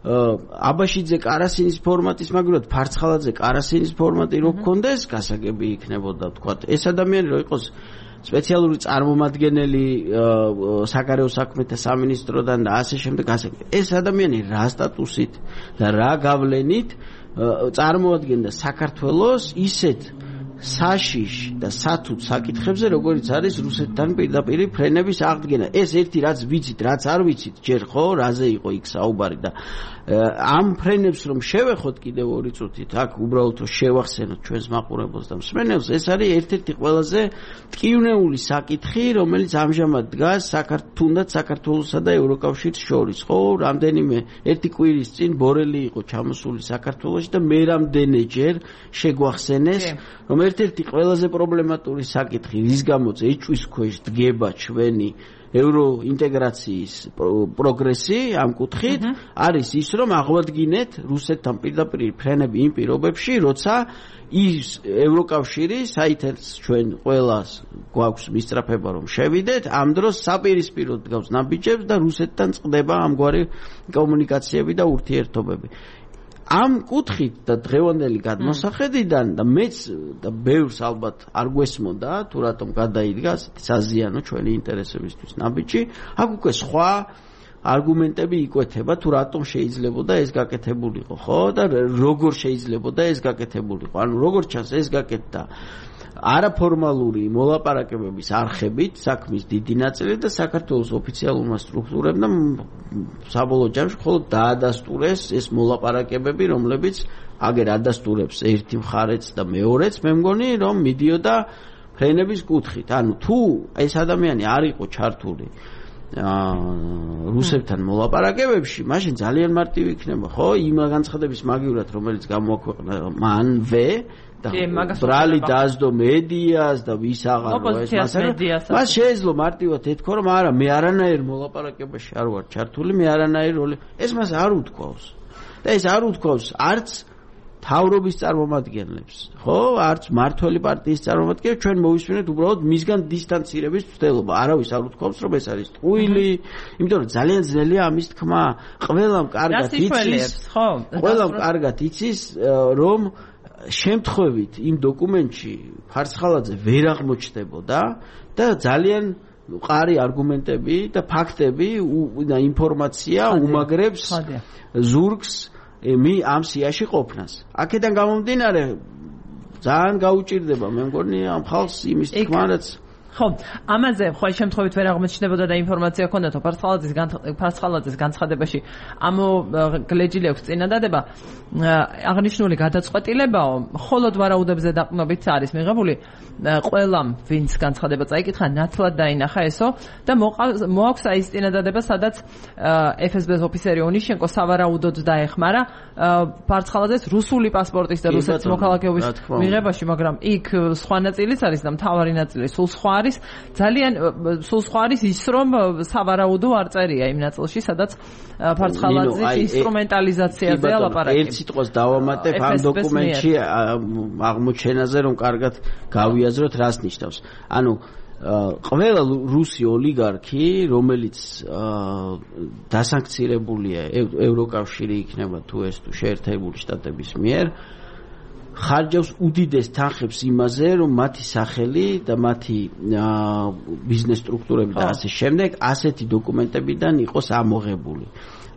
აბაშიძე კარასინის ფორმატის მაგალითად ფარცხალაძე კარასინის ფორმატი რო გქონდეს, გასაგები იქნებოდა თქვა. ეს ადამიანი რო იყოს სპეციალური წარმომადგენელი საგარეო საქმეთა სამინისტროდან და ასე შემდეგ ეს ადამიანი რა სტატუსით და რა გავლენით წარმოადგენდა საქართველოს ისეთ საშიშ და სათუც საკითხებზე როგორიც არის რუსეთთან პირდაპირ ფრენების აღდგენა ეს ერთი რაც ვიცით რაც არ ვიცით ჯერ ხო რაზე იყო იქ საუბარი და ამ ფრენებს რომ შევეხოთ კიდევ ორი წუთით აქ უბრალოდ შევახსენოთ ჩვენს მაყურებელს და მსმენელს ეს არის ერთ-ერთი ყველაზე ტკივნეული საკითხი რომელიც ამჟამად დგას თუნდაც საქართველოსა და ევროკავშირის შორის ხო რამდენიმე ერთი კვირის წინ ბორელი იყო ჩამოსული საქართველოში და მე რამდენჯერ შეგვახსენეს რომ ერთ-ერთი ყველაზე პრობლემატური საკითხი რის გამოც ეჭვის ქვეშ დგება ჩვენი ევროინტეგრაციის პროგრესი ამ კუთხით არის ის რომ აღვადგინეთ რუსეთთან პირდაპირ ფრენები იმ პირობებში როცა ის ევროკავშირი საითაც ჩვენ ყველას გვაქვს მისწრაფება რომ შევიდეთ ამ დროს საპირისპიროდ დგავს ნაბიჯებს და რუსეთთან წყდება ამგვარი კომუნიკაციები და ურთიერთობები ამ კუთხით და დღევანდელი გადმოსახედიდან და მეც და ბევრს ალბათ არ გვესმოდა თუ რატომ გადაიდგა ასეთი საზიანო ჩვენი ინტერესებისთვის ნაბიჯი აქ უკვე სხვა არგუმენტები იკვეთება თუ რატომ შეიძლებოდა ეს გაკეთებულიყო ხო და როგორ შეიძლებოდა ეს გაკეთებულიყო ანუ როგორ ჩანს ეს გაკეთდა არაფორმალური მოლაპარაკებების არხებით საქმის დიდი ნაწილი და საქართველოს ოფიციალურმა სტრუქტურებმა საბოლოო ჯამში მხოლოდ დაადასტურეს ეს მოლაპარაკებები რომლებიც აგერ ადასტურებს ერთი მხარეც და მეორეც მე მგონი რომ მიდიოდა ფრენების კუთხით ანუ თუ ეს ადამიანი არ იყო ჩართული რუსებთან მოლაპარაკებებში მაშინ ძალიან მარტივი იქნება ხო იმ განცხადების მაგივრად რომელიც გამოაქვეყნა მანვე და ბრალი დაასდო მედიას და ვის აღარო ეს მას შეეძლო მარტივად ეთქვა რომ არა მე არანაირ მოლაპარაკებაში არ ვარ ჩართული მე არანაირ როლი ეს მას არ უთქვავს და ეს არ უთქვავს არც თავრობის წარმომადგენლებს ხო არც მართველი პარტიის წარმომადგენლებს ჩვენ მოვისმინეთ უბრალოდ მისგან დისტანცირების ცდელობა არავის არ უთქვავს რომ ეს არის ტყუილი იმიტომ რომ ძალიან ძნელია ამის თქმა ყველამ კარგად იცის რომ შემთხვევით იმ დოკუმენტში ფარცხალაძე ვერ აღმოჩნდებოდა და ძალიან მყარი არგუმენტები და ფაქტები და ინფორმაცია უმაგრებს ზურგს ამ სიაში ყოფნას. აქედან გამომდინარე ძალიან გაუჭირდება მე მგონი ამ ხალხს იმის თქმა რაც ხო, ამაზე ყოველ შემთხვევით ვერ აღმოჩნდებოდა და ინფორმაცია ჰქონდათ ფარცხალაძის განცხადებაში ამოგლეჯილი აქვს წინადადება აღნიშნული გადაწყვეტილებაო მხოლოდ ვარაუდებზე დაყრდნობით არის მიღებული ყველამ ვინც განცხადება წაიკითხა ნათლად დაინახა ესო და მოაქვს აი ეს წინადადება სადაც FSB-ს ოფიცერი ონიშენკო სავარაუდოდ დაეხმარა ფარცხალაძეს რუსული პასპორტის და რუსეთის მოქალაქეობის მიღებაში მაგრამ იქ სხვა ნაწილიც არის და მთავარი ნაწილი სულ სხვა არის ძალიან სულ სხვა არის ის რომ სავარაუდო არ წერია იმ ნაწილში სადაც ფარცხალაძის ინსტრუმენტალიზაციაზე ლაპარაკი. ერთ სიტყვას დავამატებ ამ დოკუმენტში აღმოჩენაზე რომ კარგად გავიაზროთ რას ნიშნავს. ანუ ყველა რუსი ოლიგარქი რომელიც დასანქცირებულია ევროკავშირი იქნება თუ ეს თუ შეერთებული შტატების მიერ ხარჯავს უდიდეს თანხებს იმაზე, რომ მათი სახელი და მათი ბიზნეს სტრუქტურები და ასე შემდეგ ასეთი დოკუმენტებიდან იყოს ამოღებული.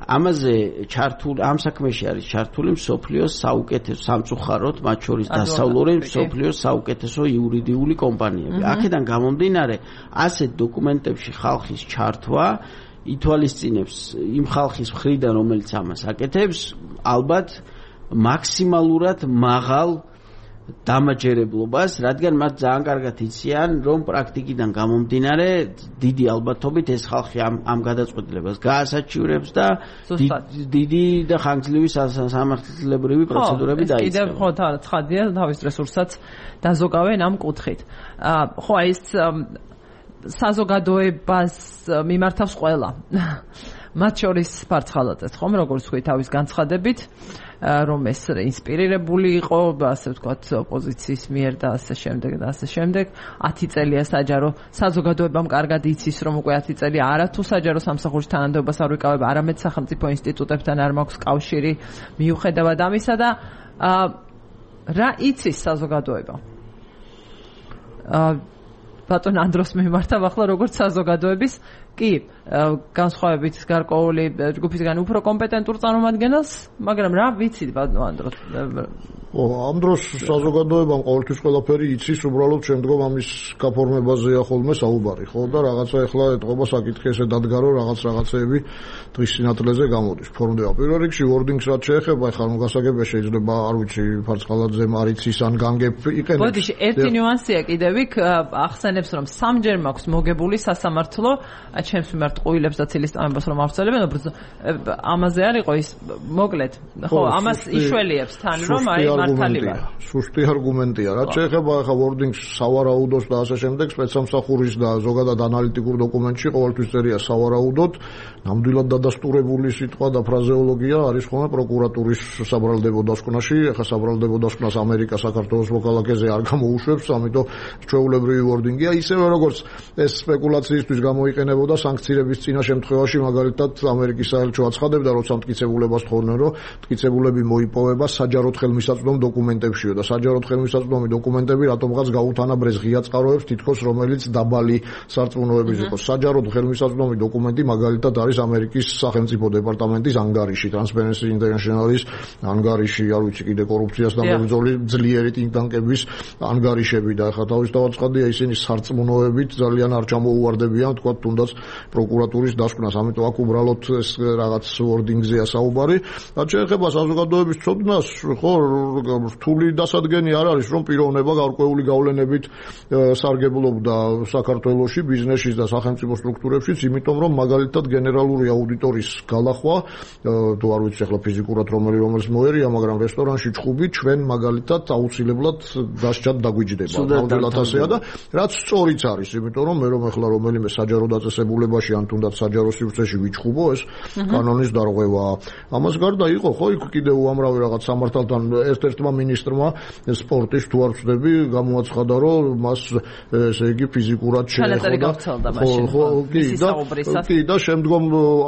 ამაზე ჩართული ამ საქმეში არის ჩართული მსოფლიოს საუკეთესო სამწუხაროდ, მათ შორის დასავლური მსოფლიოს საუკეთესო იურიდიული კომპანიები. აქედან გამომდინარე, ასეთ დოკუმენტებში ხალხის ჩართვა ითვალისწინებს იმ ხალხის მხრიდან, რომელიც ამას აკეთებს, ალბათ მაქსიმალურად მაღალ დამაჯერებლობას, რადგან მათ ძალიან კარგად იციან, რომ პრაქტიკიდან გამომდინარე დიდი ალბათობით ეს ხალხი ამ გადაწყვეტილებას გაასაჩივრებს და დიდი და ხანგრძლივი სამართლებრივი პროცედურები დაიწყება. კიდევ ხო ცხადია თავის რესურსსაც დაზოგავენ ამ კუთხით. ხო ეს საზოგადოებას მიმართავს ყველა. მათ შორის ფარცხალაძეს ხომ როგორც თქვი თავის განცხადებით რომ ეს ინსპირირებული იყო ასე ვთქვათ ოპოზიციის მიერ და ასე შემდეგ და ასე შემდეგ 10 წელია საჯარო საზოგადოებამ კარგად იცის რომ უკვე 10 წელი არათუ საჯარო სამსახურის თანამდებობას არ ვიკავებ არამედ სახელმწიფო ინსტიტუტებთან არ მაქვს კავშირი მიუხედავად ამისა და რა იცის საზოგადოება ბატონ ანდროს მიმართავ ახლა როგორც საზოგადოების კი განსხვავებით გარკვეული ჯგუფისგან უფრო კომპეტენტურ წარმომადგენელს მაგრამ რა ვიცით ბატონ ანდრო ამ დროს საზოგადოებამ ყოველთვის ყველაფერი იცის უბრალოდ შემდგომ ამის გაფორმებაზეა ხოლმე საუბარი ხო და რაღაცა ახლა ეთყობა საკითხი ესე დადგა რომ რაღაცეები დღის სინათლეზე გამოდის ფორმდება პირველ რიგში wordings რაც შეეხება ახლა რომ გასაგებია შეიძლება არ ვიცი ფარცხალაძემ არ იცის ან განგებ იყენებს ბოდიში ერთი ნიუანსია კიდევ იქ ახსენებს რომ სამჯერ მაქვს მოგებული სასამართლო ჩემს მიმართ ყუილებს და ცილისტამებას რომ ავცელებენ ამაზე არ იყო ის მოკლედ ხო ამას იშველიებს თან რომ აი მართალია სუსტი არგუმენტია რაც შეეხება ახლა wordings სავარაუდოს და ასე შემდეგ სპეცსამსახურის და ზოგადად ანალიტიკურ დოკუმენტში ყოველთვის წერია სავარაუდოდ ნამდვილად დადასტურებული სიტყვა და ფრაზეოლოგია არის ხოლმე პროკურატურის საბრალდებო დასკვნაში ახლა საბრალდებო დასკვნას ამერიკა საქართველოს მოქალაქეზე არ გამოუშვებს ამიტომ ჩვეულებრივი wording-ია ისევე როგორც ეს სპეკულაციისთვის გამოიყენებოდა სანქციების წინა შემთხვევაში მაგალითად ამერიკის საელჩო აცხადებდა როცა მტკიცებულებას თხოვდნენ რომ მტკიცებულები მოიპოვება საჯაროდ ხელმისაწვდომ დოკუმენტებშიო და საჯაროდ ხელმისაწვდომი დოკუმენტები რატომღაც გაუთანაბრეს ღია წყაროებს თითქოს რომელიც დაბალი სარწმუნოების იყოს საჯაროდ ხელმისაწვდომი დოკუმენტი მაგალითად არის ამერიკის სახელმწიფო დეპარტამენტის ანგარიში Transparency International-ის ანგარიში არ ვიცი კიდე კორუფციას და მებრძოლი ძლიერი ტინკ-ტანკების ანგარიშები და ახლა თავისთავად ცხადია ისინი სარწმუნოებით ძალიან არ ჩამოუვარდებიან თქვა თუნდაც პროკურატურის დასკვნას ამიტომ აქ უბრალოდ ეს რაღაც wording-ზეა საუბარი და შეეხება საზოგადოების ცოდნას ხო რთული დასადგენი არ არის რომ პიროვნება გარკვეული გავლენებით სარგებლობდა საქართველოში ბიზნესში და სახელმწიფო სტრუქტურებშიც იმიტომ რომ მაგალითად გენერალური აუდიტორის გალახვა თუ არ ვიცი ახლა ფიზიკურად რომელიც მოერია მაგრამ რესტორანში ჩხუბი ჩვენ მაგალითად აუცილებლად დასჯად დაგვიჯდება ნამდვილად ასეა და რაც სწორიც არის იმიტომ რომ მე რომ ახლა რომელიმე საჯარო დაწესებულებაში ან თუნდაც საჯარო სივრცეში ვიჩხუბო ეს კანონის დარღვევაა ამას გარდა იყო ხო იქ კიდევ უამრავი რაღაც სამართალთან ერთ-ერთმა მინისტრმა სპორტის თუ არ ვწდები გამოაცხადა რომ მას ესე იგი ფიზიკურად შეეხოდა კი და შემდგომ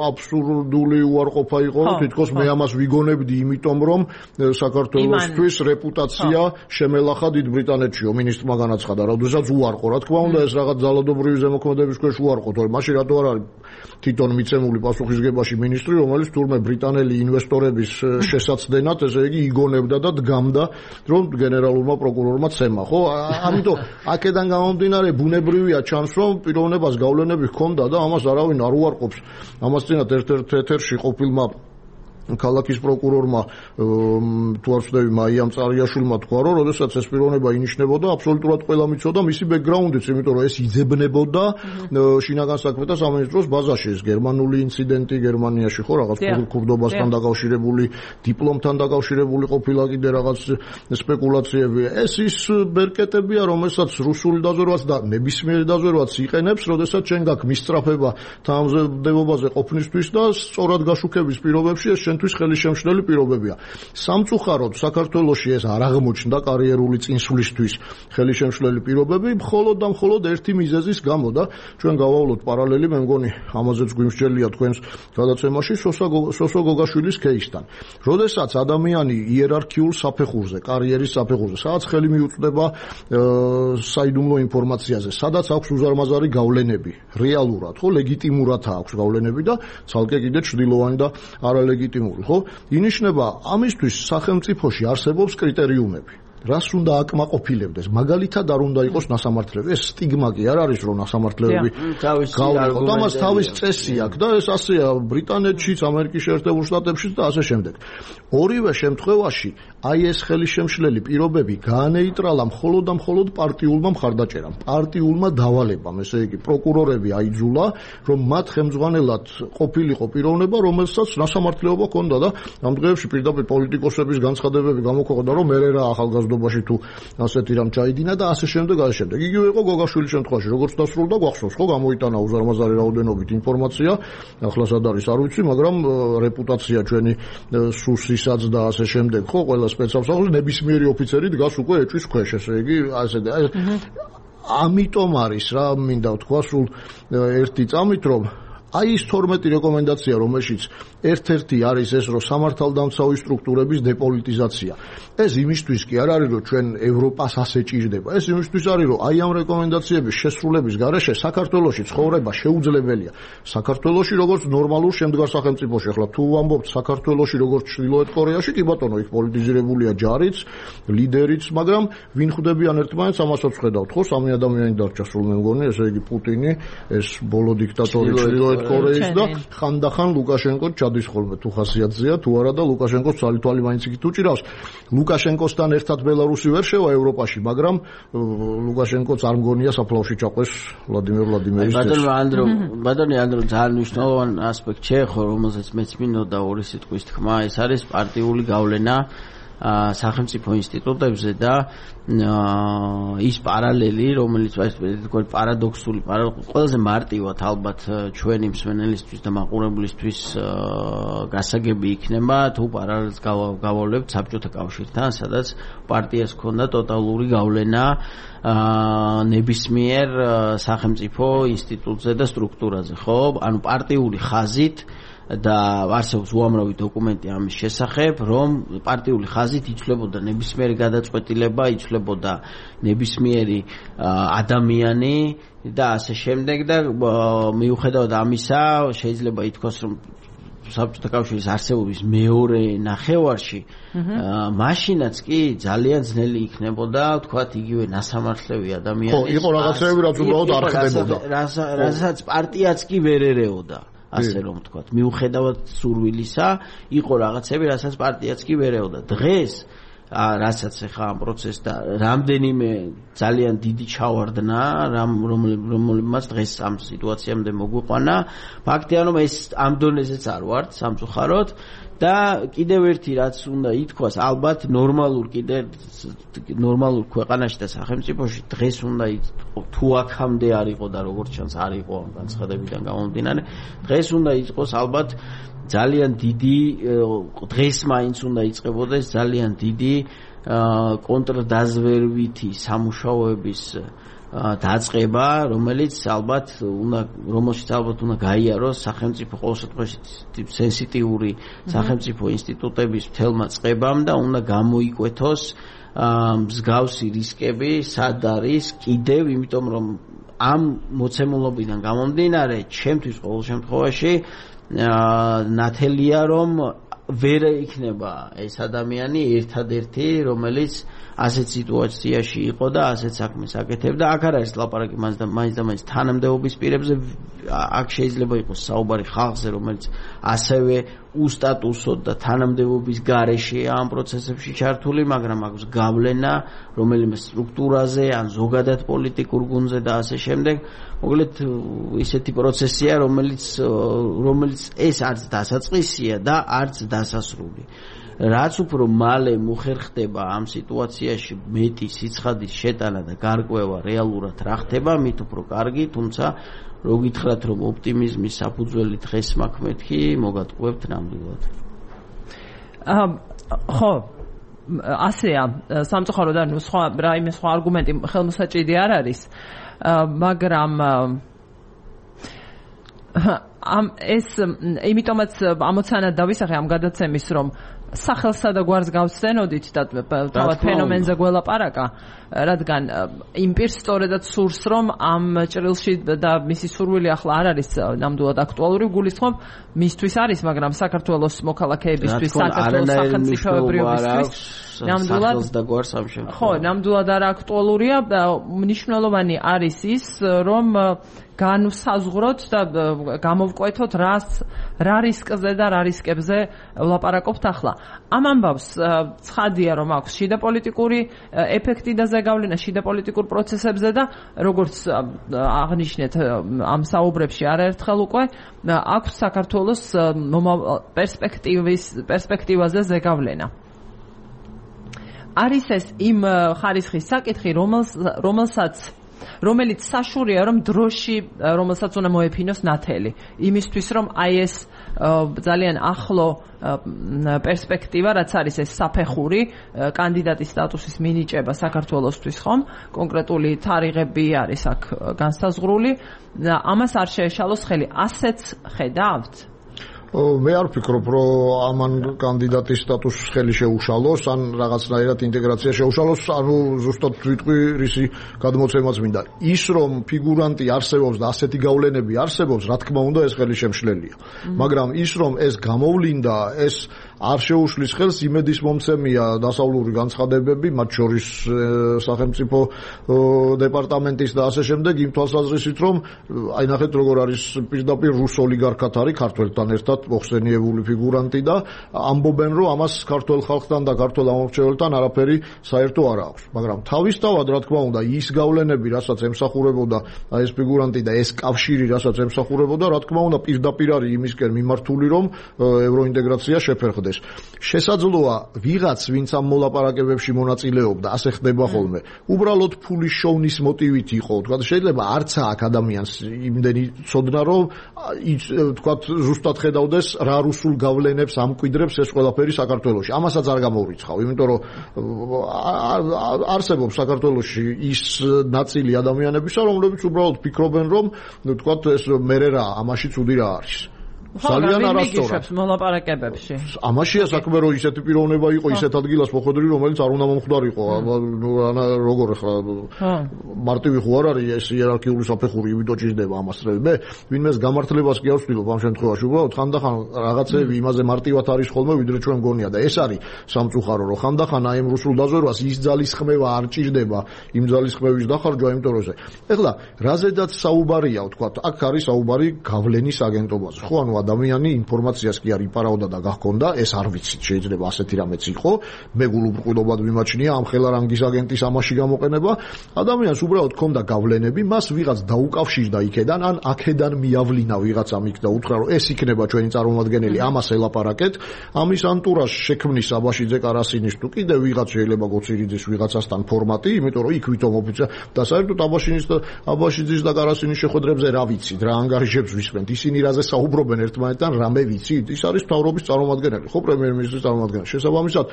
აბსურდული უარყოფა იყო რომ თითქოს მე ამას ვიგონებდი იმიტომ რომ საქართველოსთვის რეპუტაცია შემელახა დიდ ბრიტანეთშიო მინისტრმა განაცხადა როდესაც უარყო რა თქმა უნდა ეს რაღაც ძალადობრივი ზემოქმედების ქვეშ უარყო თორემ მაშინ რატო არ არის თვითონ მიცემული პასუხისგებაში მინისტრი, რომელიც თურმე ბრიტანელი ინვესტორების შესაცდენად, ესე იგი, იგონებდა და დგამდა, რომ გენერალურმა პროკურორმა ცემა, ხო? ამიტომ აქედან გამომდინარე ბუნებრივია ჩანს, რომ პიროვნებას გავლენები ჰქონდა და ამას არავინ არ უარყოფს. ამას წინათ ერთ-ერთ ეთერში ყოფილმა ქალაქის პროკურორმა თუ არ ვცდები მაიამ წარიაშვილმა თქვა, რომ როდესაც ეს პიროვნება ინიშნებოდა, აბსოლუტურად ყველა მიცოდა მისი ბექგრაუნდიც, იმიტომ რომ ეს იძებნებოდა შინაგან საქმეთა სამინისტროს ბაზაში, ეს გერმანული ინციდენტი გერმანიაში, ხო, რაღაც ქურდობასთან დაკავშირებული, დიპლომთან დაკავშირებული ყოფილა კიდე რაღაც სპეკულაციები. ეს ის ბერკეტებია, რომელსაც რუსული დაზვერვაც და ნებისმიერი დაზვერვაც იყენებს, როდესაც შენ გაქვს მისწრაფება თანამდებობაზე ყოფნისთვის და სწორად გაშუქების პირობებში ეს თვის ხელისშემშლელი პირობებია. სამწუხაროდ საქართველოში ეს არ აღმოჩნდა კარიერული წინსვლისთვის ხელისშემშლელი პირობები, მხოლოდ და მხოლოდ ერთი მიზეზის გამო და ჩვენ გავავლოთ პარალელი, მე მგონი ამაზეც გვიმსჯელია თქვენს გადაცემაში სოსო გოგაშვილის кейსთან. როდესაც ადამიანი იერარქიულ საფეხურზე, კარიერის საფეხურზე, სადაც ხელი მიუწვდება საიდუმლო ინფორმაციაზე, სადაც აქვს უზარმაზარი გავლენები, რეალურად, ხო, ლეგიტიმურად აქვს გავლენები და ცალკე კიდე ჩრდილოვანი და არალეგიტიმური, ხო? ინიშნება ამისთვის სახელმწიფოში არსებობს კრიტერიუმები. რას უნდა აკმაყოფილებდეს? მაგალითად არ უნდა იყოს ნასამართლები. ეს სტიგმა კი არ არის, რომ ნასამართლეები გავიყოთ. ამას თავის წესი აქვს და ეს ასეა ბრიტანეთშიც, ამერიკის შეერთებულ შტატებშიც და ასე შემდეგ. ორივე შემთხვევაში აი ეს ხელისშემშლელი პირობები გაანეიტრალა მხოლოდ და მხოლოდ პარტიულმა მხარდაჭერამ, პარტიულმა დავალებამ, ესე იგი პროკურორები აიძულა, რომ მათ ხელმძღვანელად ყოფილიყო პიროვნება, რომელსაც ნასამართლეობა ჰქონდა და ამ დღეებში პირდაპირ პოლიტიკოსების განცხადებები გამოქვეყნდა, რომ მე რა ახალგაზრდობაში თუ ასეთი რამ ჩაიდინა და ასე შემდეგ, ასე შემდეგ. იგივე იყო გოგაშვილის შემთხვევაში, როგორც დასრულდა, გვახსოვს, ხო, გამოიტანა უზარმაზარი რაოდენობით ინფორმაცია, ახლა სად არის არ ვიცი, მაგრამ რეპუტაცია ჩვენი სუსისაც და ასე შემდეგ, ხო, ყველა სპეცსამსახური ნებისმიერი ოფიცერი დგას უკვე ეჭვის ქვეშ, ესე იგი, ასე და ამიტომ არის რა მინდა ვთქვა სულ ერთი წამით, რომ აი ის 12 რეკომენდაცია, რომელშიც ერთ-ერთი არის ეს, რომ სამართალდამცავი სტრუქტურების დეპოლიტიზაცია. ეს იმისთვის კი არ არის, რომ ჩვენ ევროპას ასე ჭირდება. ეს იმისთვის არის, რომ აი ამ რეკომენდაციების შესრულების გარეშე საქართველოში ცხოვრება შეუძლებელია. საქართველოში როგორც ნორმალურ შემდგარ სახელმწიფოში, ახლა თუ ვამბობთ საქართველოში როგორც ჩრდილოეთ კორეაში, კი ბატონო, იქ პოლიტიზირებულია ჯარიც, ლიდერიც, მაგრამ ვინ ხვდებიან ერთმანეთს, ამასაც ხედავთ, ხო, სამი ადამიანი დარჩა სულ მე მგონი, ესე იგი პუტინი, ეს ბოლო დიქტატორი ჩრდილოეთ კორეის და ხანდახან ლუკაშენკო ჩადის ხოლმე თუ ხასიათზეა თუ არა და ლუკაშენკოს თვალი მაინც იქით უჭირავს. ლუკაშენკოსთან ერთად ბელარუსი ვერ შევა ევროპაში, მაგრამ ლუკაშენკოც არ მგონია საფლავში ჩაყვეს ვლადიმერ ვლადიმერის. ბატონი ანდრო ძალიან მნიშვნელოვანი ასპექტ შეეხო, რომელზეც მეც მინდოდა ორი სიტყვის თქმა, ეს არის პარტიული გავლენა სახელმწიფო ინსტიტუტებზე და ის პარალელი, რომელიც პარადოქსული, ყველაზე მარტივად ალბათ ჩვენი მსმენელისთვის და მაყურებლისთვის გასაგები იქნება, თუ პარალელს გავავლებთ საბჭოთა კავშირთან, სადაც პარტიას ჰქონდა ტოტალური გავლენა ნებისმიერ სახელმწიფო ინსტიტუტზე და სტრუქტურაზე, ხო? ანუ პარტიული ხაზით და არსებობს უამრავი დოკუმენტი ამის შესახებ, რომ პარტიული ხაზით იცვლებოდა ნებისმიერი გადაწყვეტილება, იცვლებოდა ნებისმიერი ადამიანი და ასე შემდეგ და მიუხედავად ამისა შეიძლება ითქვას, რომ საბჭოთა კავშირის არსებობის მეორე ნახევარში მაშინაც კი ძალიან ძნელი იქნებოდა თქვათ იგივე ნასამართლევი ადამიანის. ხო, იყო რაღაცები, რაც უბრალოდ არ ხდებოდა. რასაც პარტიაც კი ვერ ერეოდა. ასე რომ ვთქვათ, მიუხედავად სურვილისა, იყო რაღაცები, რასაც პარტიაც კი ვერ ეოდა. დღეს, რასაც ახლა ამ პროცესს და რამდენიმე ძალიან დიდი ჩავარდნა, რომელმაც დღეს ამ სიტუაციამდე მოგვიყვანა, ფაქტია, რომ ეს ამ დონეზეც არ ვართ, სამწუხაროდ. და კიდევ ერთი რაც უნდა ითქვას, ალბათ ნორმალურ ქვეყანაში და სახელმწიფოში დღეს უნდა თუ აქამდე არ იყო და როგორც ჩანს არ იყო ამ განცხადებიდან გამომდინარე, დღეს უნდა იყოს ალბათ ძალიან დიდი, დღეს მაინც უნდა იწყებოდეს ძალიან დიდი კონტრდაზვერვითი სამუშაოების დაწყება, რომელშიც ალბათ უნდა გაიაროს სახელმწიფო ყოველ შემთხვევაში სენსიტიური სახელმწიფო ინსტიტუტების მთელმა წყებამ და უნდა გამოიკვეთოს მსგავსი რისკები, სად არის კიდევ, იმიტომ რომ ამ მოცემულობიდან გამომდინარე, ჩემთვის ყოველ შემთხვევაში ნათელია, რომ ვერ იქნება ეს ადამიანი ერთადერთი, რომელიც ასეთ სიტუაციაში იყო და ასეთ საქმეს აკეთებდა. აქ არ არის ლაპარაკი მაინც და მაინც თანამდებობის პირებზე. აქ შეიძლება იყოს საუბარი ხალხზე, რომელიც ასევე უსტატუსოდ და თანამდებობის გარეშეა ამ პროცესებში ჩართული, მაგრამ აქვს გავლენა რომელიმე სტრუქტურაზე ან ზოგადად პოლიტიკურ გუნდზე და ასე შემდეგ. მოკლედ ისეთი პროცესია, რომელიც ეს არც დასაწყისია და არც დასასრული. რაც უფრო მალე მოხერხდება ამ სიტუაციაში მეტი სიცხადის შეტანა და გარკვევა რეალურად რა ხდება, მით უფრო კარგი, თუმცა რო გითხრათ, რომ ოპტიმიზმის საფუძველი დღეს მაქვს მეთქი, მოგატყუებთ ნამდვილად. ხო, ასეა, სამწუხაროდ ანუ სხვა არგუმენტი ხელმოსაჭიდი არ არის, მაგრამ ეს იმიტომაც ამოცანად დავისახე ამ გადაცემის, რომ სახელსა და გვარს გავსცენოდით და თავად ფენომენზე გველაპარაკა, რადგან იმ პირს სწორედად სურს, რომ ამ ჭრილში და მისი სურვილი ახლა არ არის ნამდვილად აქტუალური, გულისხმობ მისთვის არის, მაგრამ საქართველოს მოქალაქეებისთვის, საქართველოს სახელმწიფოებრიობისთვის ნამდვილად და გვარს ამ შემთხვევაში. ხო, ნამდვილად არ აქტუალურია. მნიშვნელოვანი არის ის, რომ განვსაზღვროთ და გამოვკვეთოთ რა რისკზე და რა რისკებზე ვლაპარაკობთ ახლა. ამ ამბავს ცხადია, რომ აქვს შიდა პოლიტიკური ეფექტი და ზეგავლენა შიდა პოლიტიკურ პროცესებზე და როგორც აღნიშნეთ ამ საუბრებში არაერთხელ უკვე აქვს საქართველოს პერსპექტივაზე ზეგავლენა. არის ეს იმ ხარისხის საკითხი, რომელიც საშურია, რომ დროში, რომელსაც უნდა მოეფინოს ნათელი. იმისთვის, რომ აი ეს ძალიან ახლო პერსპექტივა, რაც არის ეს საფეხური, კანდიდატის სტატუსის მინიჭება საქართველოსთვის, ხომ? კონკრეტული თარიღები არის აქ განსაზღვრული. ამას არ შეეშალოს ხელი. ასეც ხედავთ? მე არ ვფიქრობ, რომ ამან კანდიდატის სტატუსს ხელი შეუშალოს, ან რაღაცნაირად ინტეგრაცია შეუშალოს, ანუ ზუსტად ვიტყვი, რისი გადმოცემაც მინდა. ის, რომ ფიგურანტი არსებობს და ასეთი გავლენები არსებობს, რა თქმა უნდა, ეს ხელი შემშლელია. მაგრამ ის, რომ ეს გამოვლინდა, ეს არ შეუშლის ხელს, იმედის მომცემია დასავლური განცხადებები, მათ შორის სახელმწიფო დეპარტამენტის და ასე შემდეგ, იმ თვალსაზრისით, რომ აი ნახეთ, როგორ არის პირდაპირ რუს ოლიგარქად არის ქართველთან ერთად მოხსენიებული ფიგურანტი და ამბობენ, რომ ამას ქართველ ხალხთან და ქართველ ამომრჩეველთან არაფერი საერთო არ აქვს. მაგრამ თავისთავად, რა თქმა უნდა, ის გავლენები, რასაც ემსახურებოდა აი ეს ფიგურანტი და ეს კავშირი, რასაც ემსახურებოდა, რა თქმა უნდა, პირდაპირ არის იმისკენ მიმართული, რომ ევროინტეგრაცია შეფერხდეს. შესაძლოა ვიღაც, ვინც ამ მოლაპარაკებებში მონაწილეობდა, ასე ხდება ხოლმე, უბრალოდ ფულის შოვნის მოტივით იყო. თქვა შეიძლება არც აქ ადამიანს იმდენი ცოდნა, რომ თქვა ზუსტად ხედავდეს რა რუსულ გავლენებს ამკვიდრებს ეს ყველაფერი საქართველოში. ამასაც არ გამოვრიცხავ, იმიტომ რომ არსებობს საქართველოში ის ნაწილი ადამიანებისა, რომლებიც უბრალოდ ფიქრობენ, რომ თქვა ეს მერე რა, ამაში ცუდი რა არის. ძალიან არასწორად მოლაპარაკებებში. ამაშია საქმე, რომ ისეთი პიროვნება იყო, ისეთ ადგილას მოხვედრი, რომელიც არ უნდა მომხდარიყო. როგორ ახლა მარტივი ხო არ არის ეს იერარქიული საფეხური, იმიტომ ჭირდება ამას. მე ვინმეს გამართლებას კი არ ვცდილობ ამ შემთხვევაში, უბრალოდ ხანდახან რაღაცები იმაზე მარტივად არის ხოლმე, ვიდრე ჩვენ მგონია და ეს არის სამწუხარო, რომ ხანდახან აი ამ რუსულ დაზვერვას ის ძალისხმევა არ ჭირდება იმ ძალისხმევის დახარჯვა იმ თორეზე. ეხლა რაზედაც საუბარია, ვთქვათ, აქ არის საუბარი გავლენის აგენტობაზე. ხო, ანუ ადამიანი ინფორმაციას კი არ იპარავდა და გახონდა, ეს არ ვიცით, შეიძლება ასეთი რამეც იყო. მე გულუბრყვილობად ვიმაჩნია ამ ხელარანგის აგენტის ამაში გამოყენება. ადამიანს უბრალოდ ჰქონდა გავლენები, მას ვიღაც დაუკავშირდა იქედან, ან აქედან მიავლინა ვიღაცამ იქ და უთხრა, რომ ეს იქნება ჩვენი წარმომადგენელი, ამას ელაპარაკეთ. ამის ანტურაჟს შექმნის აბაშიძე კარასინის თუ კიდე ვიღაც შეიძლება გოცირიძის ვიღაცასთან ფორმატი, იმიტომ რომ იქ ვითომ ოფიცია და საერთოდ აბაშიძის და კარასინის შეხვედრებზე რა ვიცით, რა ანგარიშებს ვისმენთ, ისინი რაზე საუბრობენ ერთმანეთთან რამე ვიცით? ის არის მთავრობის წარმომადგენელი, ხო, პრემიერ-მინისტრის წარმომადგენელი. შესაბამისად,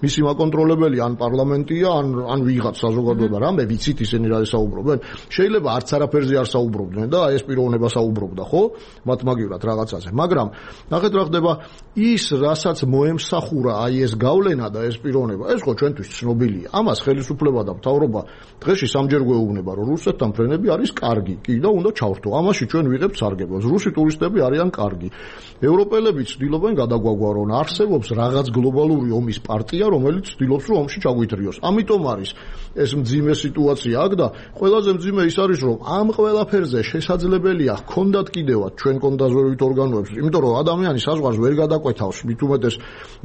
მისი მაკონტროლებელი ან პარლამენტია, ან ვიღაც საზოგადოება, რამე ვიცით ისინი რა საუბრობენ? შეიძლება არც არაფერზე არ საუბრობდნენ და ეს პიროვნება საუბრობდა, ხო? მათ მაგივრად რაღაცაზე. მაგრამ ნახეთ რა ხდება, ის რასაც მოემსახურა აი ეს გავლენა და ეს პიროვნება, ეს ხო ჩვენთვის ცნობილია. ამას ხელისუფლება და მთავრობა დღეში სამჯერ გვეუბნება, რომ რუსეთთან ფრენები არის კარგი, კი და უნდა ჩავრთო. ამაში ჩვენ ვიღებთ სარგებლობას. რუსი ტურისტები არიან კარგი. ევროპელები ცდილობენ გადაგვაგვარონ. არსებობს რაღაც გლობალური ომის პარტია, რომელიც ცდილობს რომ ომში ჩაგვითრიოს. ამიტომ არის ეს მძიმე სიტუაცია აქ და ყველაზე მძიმე ის არის, რომ ამ ყველაფერზე შესაძლებელია ჰქონდათ კიდევაც ჩვენ კონდაზვერვით ორგანოებს, იმიტომ რომ ადამიანი საზღვარს ვერ გადაკვეთავს, მით უმეტეს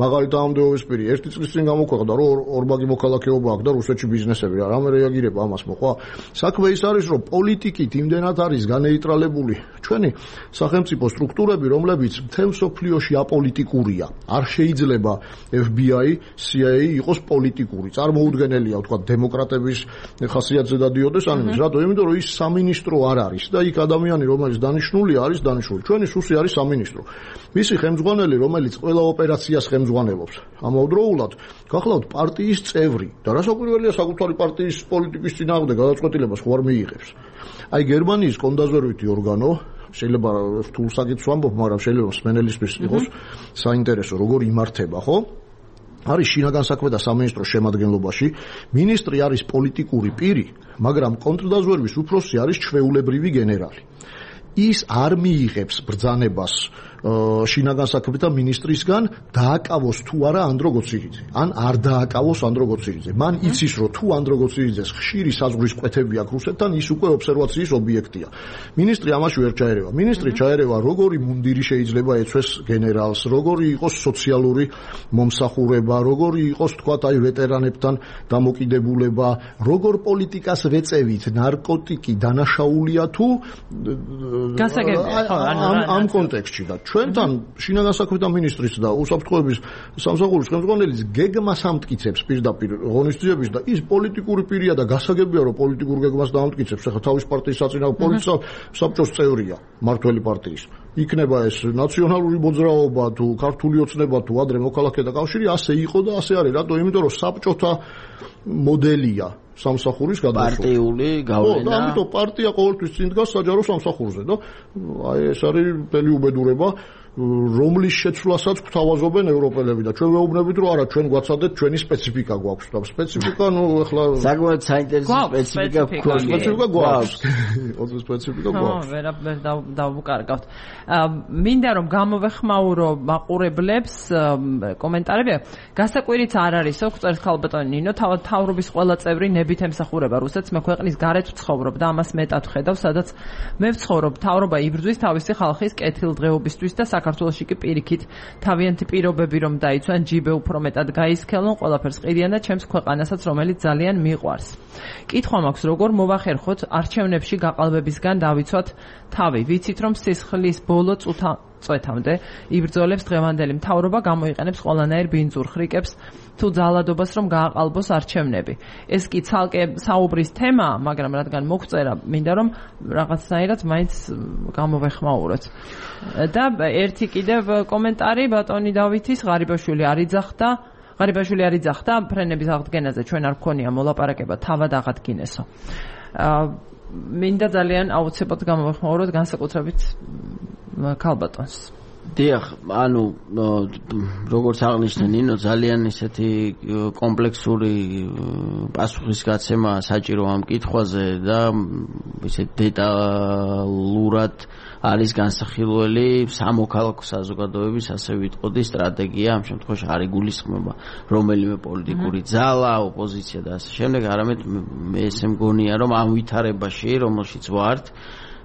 მაღალი თანამდებობის პირი 1 წლის წინ გამოქვეყნდა, რომ ორმაგი მოქალაქეობა აქვს და რუსეთში ბიზნესები რა, რამე რეაგირება ამას მოყვა. საქმე ის არის, რომ პოლიტიკით იმდენად არის განეიტრალებული ჩვენი სახელმწიფო სტრუქტურები, რომლებიც მთელ მსოფლიოში აპოლიტიკურია. არ შეიძლება FBI, CIA იყოს პოლიტიკური. წარმოუდგენელია ვთქვათ დემოკრატების ხასიათზე დადიოდეს ან იმის, რატო? იმიტომ რომ ის სამინისტრო არ არის და იქ ადამიანი რომელიც დანიშნულია არის დანიშნული. ჩვენი სუსი არის სამინისტრო. მისი ხელმძღვანელი რომელიც ყველა ოპერაციას ხელმძღვანელობს. ამავდროულად გახლავთ პარტიის წევრი და რასაკვირველია საკუთარი პარტიის პოლიტიკის წინააღმდეგ გადაწყვეტილებას ხო არ მიიღებს. აი გერმანიის კონდაზვერვითი ორგანო შეიძლება რთულ საკითხს ვამბობ, მაგრამ შეიძლება მსმენელისთვის იყოს საინტერესო, როგორ იმართება, ხო? არის შინაგან საქმეთა სამინისტროს შემადგენლობაში, მინისტრი არის პოლიტიკური პირი, მაგრამ კონტრდაზვერვის უფროსი არის ჩვეულებრივი გენერალი. ის არ მიიღებს ბრძანებას შინაგან საქმეთა მინისტრისგან დააკავოს თუ არა ანდრო გოცირიძე. ან არ დააკავოს ანდრო გოცირიძე. მან იცის რომ თუ ანდრო გოცირიძეს ხშირი საზღვრის კვეთები აქვს რუსეთთან, ის უკვე ობსერვაციის ობიექტია. მინისტრი ამაში ვერ ჩაერევა. მინისტრი ჩაერევა როგორი მუნდირი შეიძლება ეცვეს გენერალს, როგორი იყოს სოციალური მომსახურება, როგორი იყოს თქვათ აი ვეტერანებთან დამოკიდებულება, როგორ პოლიტიკას ვეწევით, ნარკოტიკი დანაშაულია თუ ამ კონტექსტში და ჩვენთან შინაგან საქმეთა მინისტრის და უსაფრთხოების სამსახურის ხელმძღვანელის გეგმას ამტკიცებს პირდაპირ ღონისძიების და ის პოლიტიკური პირია და გასაგებია რომ პოლიტიკურ გეგმას დაამტკიცებს. ახლა თავის პარტიის საწინააღმდეგო პოლიტიკა საბჭოს წევრია მართველი პარტიის. იქნება ეს ნაციონალური მოძრაობა თუ ქართული ოცნება თუ ადრე მოქალაქეთა კავშირი, ასე იყო და ასე არის. რატო? იმიტომ რომ საბჭოთა მოდელია სამსახურის გადასვლა. პარტიული გავლენა. და ამიტომ პარტია ყოველთვის წინ დგას საჯარო სამსახურზე და აი ეს არის მთელი უბედურება, რომლის შეცვლასაც გვთავაზობენ ევროპელები და ჩვენ ვეუბნებით რომ არა ჩვენ გვაცადეთ ჩვენი სპეციფიკა გვაქვს და სპეციფიკა ნუ ახლა საკმაოდ საინტერესო სპეციფიკა გვაქვს. სპეციფიკა გვაქვს. ოღონდ სპეციფიკა გვაქვს. ვერ დავუკარგავთ. მინდა რომ გამოვეხმაურო მაყურებლებს კომენტარები. გასაკვირიც არ არის, ოქწერს ხალბატონი ნინო, თავად თავრობის ყველა წევრი ნებით ემსახურება რუსეთს, მე ქვეყნის გარეთ ვცხოვრობ და ამას მეტად ვხედავ, სადაც მე ვცხოვრობ, თავრობა იბრძვის თავისი ხალხის კეთილდღეობისთვის და საქართველოში კი პირიქით თავიანთი პირობები რომ დაიცვან, ჯიბე უფრო მეტად გაისქელონ, ყველაფერს ყიდიან და ჩემს ქვეყანასაც, რომელიც ძალიან მიყვარს. კითხვა მაქვს, როგორ მოვახერხოთ არჩევნებში გაყალბებისგან დავიცვათ თავი. ვიცით რომ სისხლის ბოლო წვეთამდე იბრძოლებს დღევანდელი მთავრობა, გამოიყენებს ყველანაირ ბინძურ ხრიკებს თუ ძალადობას რომ გააყალბოს არჩევნები. ეს კი ცალკე საუბრის თემაა, მაგრამ რადგან მოგწერა, მინდა რომ რაღაცნაირად მაინც გამოვეხმაუროთ. და ერთი კიდევ კომენტარი ბატონი დავითის, ღარიბაშვილი არ იძახდა ფრენების აღდგენაზე, ჩვენ არ გქონია მოლაპარაკება, თავად აღადგინესო. მინდა ძალიან აუცილებლად გამოვეხმაუროთ განსაკუთრებით ქალბატონს. დიახ, ანუ როგორც აღნიშნე ნინო, ძალიან ისეთი კომპლექსური პასუხისგაცემა საჭირო ამ კითხვაზე და ისე დეტალურად არის განსახილველი სამოქალაქო საზოგადოების, ასე ვიტყოდი, სტრატეგია, ამ შემთხვევაში არ იგულისხმება რომელიმე პოლიტიკური ძალა, ოპოზიცია და ასე შემდეგ, არამედ მე ესე მგონია, რომ ამ ვითარებაში, რომელშიც ვართ,